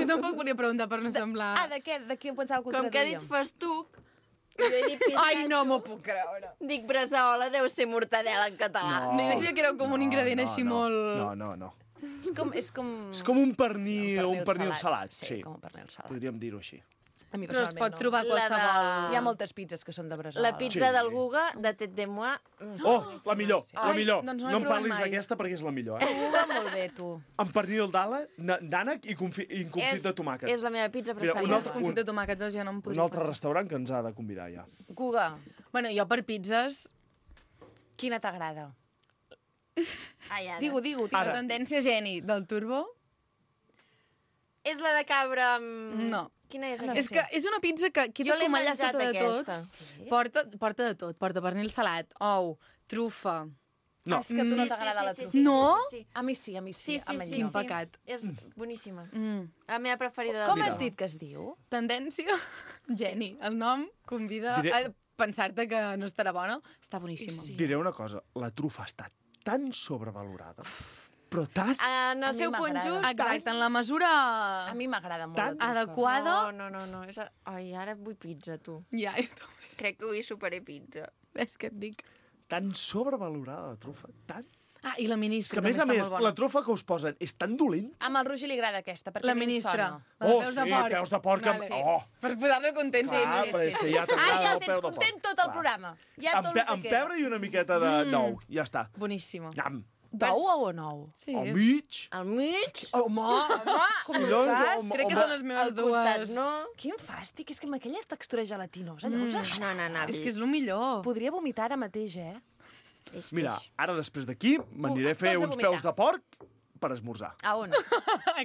Jo tampoc volia preguntar per no semblar... Ah, de què? De què pensava que ho Com que ha dit traduïem? festuc, jo he dit pizzatxo. Ai, no m'ho puc creure. Dic brasaola, deu ser mortadela en català. No. No, jo sabia que era com un ingredient no, així no. molt... No, no, no. És com... És com, És com un pernil, un pernil salat. Sí, com un pernil salat. Podríem dir-ho així. A mi Però es personalment pot no. trobar La de- qualsevol... Hi ha moltes pizzas que són de braçola. La pizza Sí. del Guga, de tête de moi... mm. Oh, la millor, la Ai, millor. doncs no l'he No em provat parlis mai. d'aquesta perquè és la millor, eh? Juga molt bé, tu. Amb pernil d'ala, na- d'ànec i, confi i confit És- de tomàquet. És la meva pizza Mira, un preferida. altre- Confit de tomàquet, veus, ja no em Un podria altre pensar. restaurant que ens ha de convidar ja. Guga, Bueno, jo per pizzas... quina t'agrada? Ai, ara. Digue-ho, digue-ho. La Ara. tendència geni del Turbo... És la de cabra amb... No. Quina és No aquesta? És que és una pizza que queda Jo l'he com allà menjat, sota de aquesta. tot. Sí? Porta, porta de tot. Porta pernil salat, ou, trufa... No. Ah, és que a tu no Sí, t'agrada sí, la sí, trufa. sí, sí, No? sí, sí. A mi sí, a mi sí. Sí, sí, a mi sí, no. sí. pecat. És boníssima. Mm. La meva preferida del Com Mira. has dit que es diu? Tendència geni. El nom convida Diré- a pensar-te que no estarà bona. Està boníssima. Sí. Diré una cosa, la trufa està tan sobrevalorada, però tan... En A el mi seu punt m'agrada. just... Exacte, en la mesura A mi m'agrada molt. Tant. la trufa. adequada... No, no, no, no. És... Ai, ara vull pizza, tu. Ja, jo també. Crec que vull superar pizza. És que et dic. tan sobrevalorada, la trufa, tan... Ah, i la És ministra que, a més també a més, està molt bona. la trufa que us posen és tan dolent. Amb el Roger li agrada aquesta, perquè La a mi em ministra. sona. La de Oh, peus sí, de porc. peus de porc. amb- Vale. Oh, Per posar-lo content. clar, sí, però sí, és que sí. ja Ah, t'agrada ja el el peu tens de porc. content tot el Clar. programa. Ja amb, tot pe el que amb queda. pebre i una miqueta de Mm. d'ou, ja està. Boníssima. Nyam. D'ou o nou? Sí. Al mig. Al mig? Home, home, com ho Collons, fas? home, Crec que home. són les meves Al costat, dues... no? Quin fàstic, és que amb aquelles textures gelatinosa, llavors... Mm. No, no, no. És que és el millor. Podria vomitar ara mateix, eh? Ix, Mira, ix. ara després d'aquí m'aniré a fer tots a uns vomitar. peus de porc per esmorzar. A on?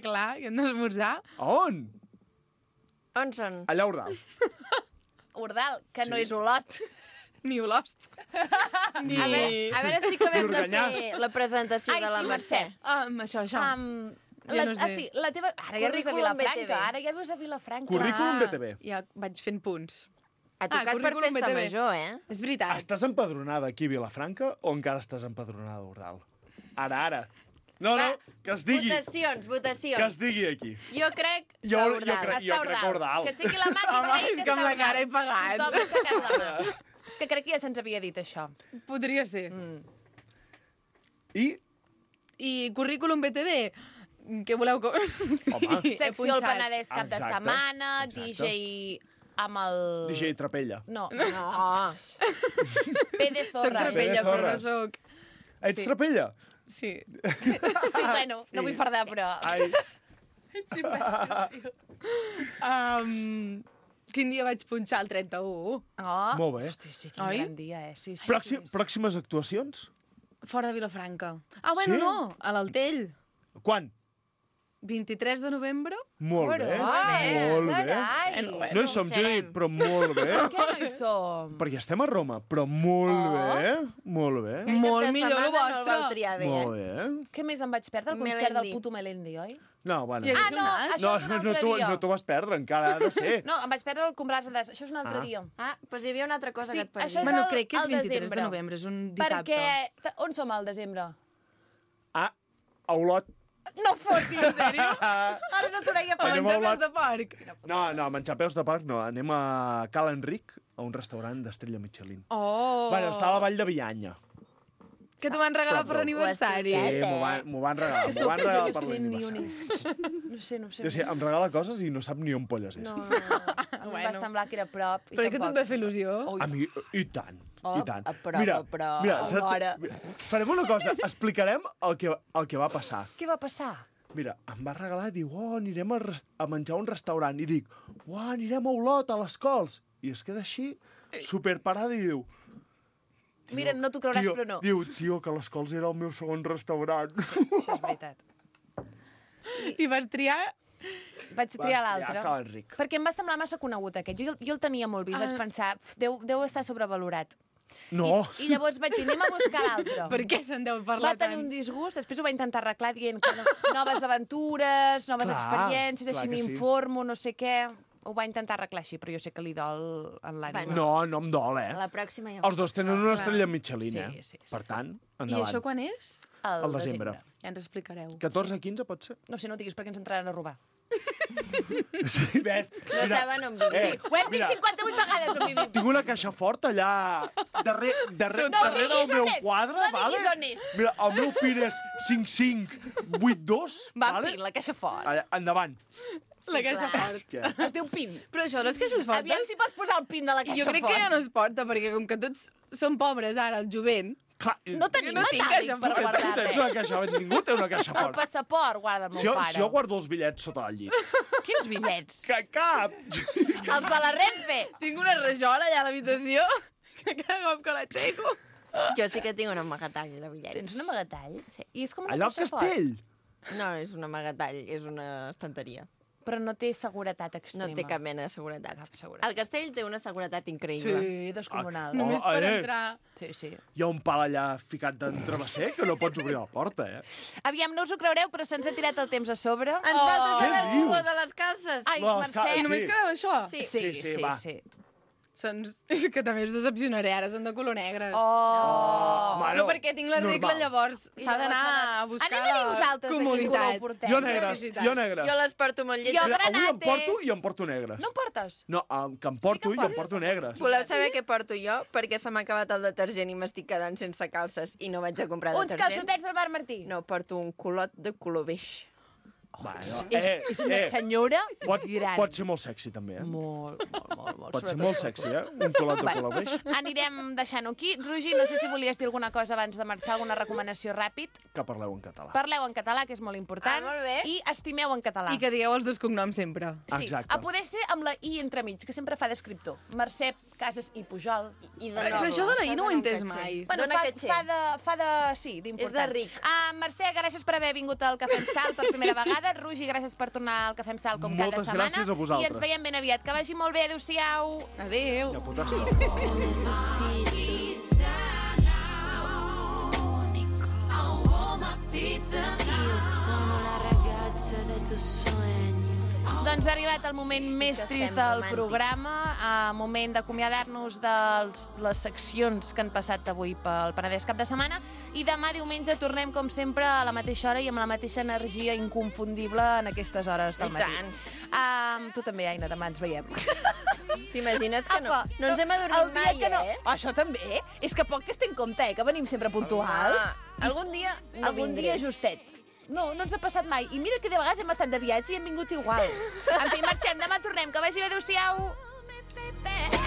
Clar, i hem d'esmorzar. A on? On són? Allà a Ordal. Ordal, que no Sí. és Olot. Ni Olost. Ni... A veure, a veure si acabem de Organyà. fer la presentació Ai, de la sí, Mercè. Mercè. Ah, amb això, això. Um, Jo la, no sé. Ah, sí, la teva... Ara ja vius a Currículum B T V. Vilafranca, ara ja vius a Vilafranca. Currículum B T V. Ja vaig fent punts. Ha tocat per currículum festa B T V. major, eh? És veritat. Estàs empadronada aquí a Vilafranca o encara estàs empadronada a Ordal? Ara, ara. No, no, que es digui. Votacions, Que es votacions. digui aquí. Jo crec que Jo, jo, Ordal. crec, jo Està crec que Ordal. Que aixequi la mà. Home, és que amb la cara he pagat. Tothom ha aixecat la mà. És que crec que ja se'ns havia dit això. Podria ser. Mm. I, I currículum B T V, què voleu que... home, He Secció el punxat. Penedès cap de Exacte, setmana, exacte. D J amb el... D J Trapella. No, no. Oh. P de Soc Zorres. trapella, però no Zorres. soc... Ets Sí. Trapella? Sí. Sí, bueno, no vull fardar, però... Ai, Um, quin dia vaig punxar? El trenta-u. Oh. molt bé. Hosti, sí, quin Oi? gran dia, eh? Sí, sí, Pròxim, sí, sí. pròximes actuacions? Fora de Vilafranca. Ah, bueno, Sí? no, a l'Altell. Quan? vint-i-tres de novembre. Molt bé, eh, molt bé. carai. Bueno, bueno. No hi som, Judit, però molt bé. Per què no hi som? Perquè estem a Roma, però molt Oh. bé, molt bé. Aquest Molt cap de millor setmana el No el vostre. vau triar bé, Molt eh? bé. Què més em vaig perdre? El concert Melendi. del puto Melendi, oi? No, bueno. I Ah, hagués no, anat? això No, és un no, altre t'ho dia. no t'ho vas perdre, encara ha de ser. No, em vaig perdre el Compràs de Això és un altre Ah. dia. Ah, doncs hi havia una altra cosa Sí, que et això és perdia. Bueno, el- crec que és al vint-i-tres desembre. de novembre, és un dissabte. Perquè... ta- On som al desembre? Ah, a Olot. No fotis, en sèrio? Ah, Ara no t'ho deia A per... Anem menjar a peus de porc. no, no, menjar peus de porc no. Anem a Cal Enric, a un restaurant d'estrella Michelin. Oh! Bueno, està a la Vall de Bianya. Que t'ho van regalar per Prop, l'aniversari. Sí, eh? m'ho van, m'ho van regalar, És que m'ho van sóc- regalar no per sé ni l'aniversari. on és. No sé, no sé. Ja sé, em regala coses i no sap ni on polles és. No, no, no. A mi em va Bueno. semblar que era a prop. i Però que tampoc. et va fer il·lusió. Ui. A mi, i tant, Oh, i tant. a prop, mira, a prop. mira, saps, Alhora. mira, farem una cosa, explicarem el que, el que va passar. Què va passar? Mira, em va regalar, diu, oh, anirem a, res- a menjar a un restaurant. I dic, oh, anirem a Olot, a les Cols. I es queda així, superparada, i diu... Mira, no t'ho creuràs, tio, però no. Diu, tio, que les Cols era el meu segon restaurant. Això és veritat. I vas triar vaig triar l'altre. triar Cal Enric. Perquè em va semblar massa conegut aquest. Jo, jo el tenia molt vist, vaig pensar, deu, deu estar sobrevalorat. No. I, I llavors vaig dir, anem a buscar l'altre. Per què se'n deu Va parlar tenir tant? un disgust, després ho va intentar arreglar dient que no, noves aventures, noves Clar, experiències, clar així que sí. m'informo, no sé què... Ho va intentar arreglar així, però jo sé que li dol en l'ànima. No, no em dol, eh? La pròxima ja... Els dos tenen una Clar. estrella Michelin, Sí, eh? sí, sí, Per tant, I endavant. això quan és? Al Al desembre. Ja ens explicareu. catorze quinze pot ser? No sé, no ho diguis perquè ens entraran a robar. Sí, ves? No saben on vivim. Eh, Sí, ho hem dit mira, cinquanta-vuit vegades on vivim. tinc una caixa forta allà darrere, darrere, No darrere diguis del meu on és, quadre, no vale? diguis on és. Mira, el meu PIN és cinc cinc vuit dos, Va, vale? pin, la caixa fort. Allà, endavant. La caixa clar. fort. Que... Es diu pin. Però això, les caixes fortes... Aviam si pots posar el pin de la caixa Jo crec fort. que ja no es porta, perquè com que tots som pobres ara, el jovent, Clar, No tenim no tinc metàl·lic caixa per fort. tu guardar tens res. una caixa fort. Ningú té una caixa El fort. passaport guarda el meu Si jo, pare. si jo guardo els bitllets sota el llit. Quins bitllets? Que cap! Els de la Renfe. tinc una rajola allà a l'habitació que cada cop que l'aixeco... Jo sí que tinc un amagatall de bitllets. Tens un amagatall? Sí. I és com una Allà al caixa fort. castell. No, és un amagatall, és una estanteria. Però no té seguretat No extrema. té cap mena de seguretat. Cap seguretat. El castell té una seguretat increïble. Sí, descomunal. Oh, Només per eh. entrar... Sí, sí. Hi ha un pal allà ficat d'entrebacer que no pots obrir la porta, eh? Aviam, no us ho creureu, però se'ns ha tirat el temps a sobre. Ens falta Oh. saber Què el color dius? de les calces. Ai, No, Mercè. esclar, I només sí. quedava això? Sí. Sí, Sí, sí, sí, va. sí. Doncs és que també us decepcionaré, ara són de color negres. Oh! Bueno, Però perquè tinc la regla, normal. llavors I s'ha llavors d'anar s'ha de- a buscar Anem a dir la vosaltres de quin color comoditat. portem. Jo negres, Felicitat. jo negres. Jo les porto molt Jo lletges. Mira, avui em granate. porto i em porto negres. No em portes? No, em, que em porto que i em portes. porto negres. Voleu saber què porto jo? Perquè se m'ha acabat el detergent i m'estic quedant sense calces i no vaig a comprar Uns detergent. calçotets del Bar Martí. No, porto un culot de color beix. Bueno, És, eh, és una eh, senyora pot, gran. pot ser molt sexy, també, eh? Molt, molt, molt, molt. Pot ser sobretot. molt sexy, eh? Un colot de Bueno. color beix. Anirem deixant-ho aquí. Roger, no sé si volies dir alguna cosa abans de marxar, alguna recomanació ràpid. Que parleu en català. Parleu en català, que és molt important. Ah, molt bé. I estimeu en català. I que digueu els dos cognoms sempre. Sí, Exacte. a poder ser amb la I entremig, que sempre fa d'escriptor. Mercè, Casas i Pujol. I de Però nou, això de la I no ho he dona un entès caché. mai. Bueno, Dona fa, caché. fa, de, fa de... Sí, d'important. És de ric. Uh, Mercè, gràcies per haver vingut al Cafè amb Sal per primera vegada. Roger, gràcies per tornar al Cafè amb Sal com Moltes cada setmana. gràcies a vosaltres. I ens veiem ben aviat. Que vagi molt bé. Adéu-siau. Adéu. Ja pots estar. Io sono la ragazza dei tuoi sogni. Doncs ha arribat el moment Sí més que trist estem del romàntics. programa, a moment d'acomiadar-nos de les seccions que han passat avui pel Penedès cap de setmana, i demà diumenge tornem, com sempre, a la mateixa hora i amb la mateixa energia inconfundible en aquestes hores del I matí. tant. Um, tu també, Aina, demà ens veiem. T'imagines que no? Apa, No ens hem el adormit dia mai, que no... eh? Això també? És que poc que es té en compte, eh? Que venim sempre puntuals. Home, algun dia no Algun vindré. dia justet. No, no ens ha passat mai. I mira que de vegades hem estat de viatge i hem vingut igual. En fi, marxem. Demà tornem. Que vagi bé. Adéu-siau. Baby,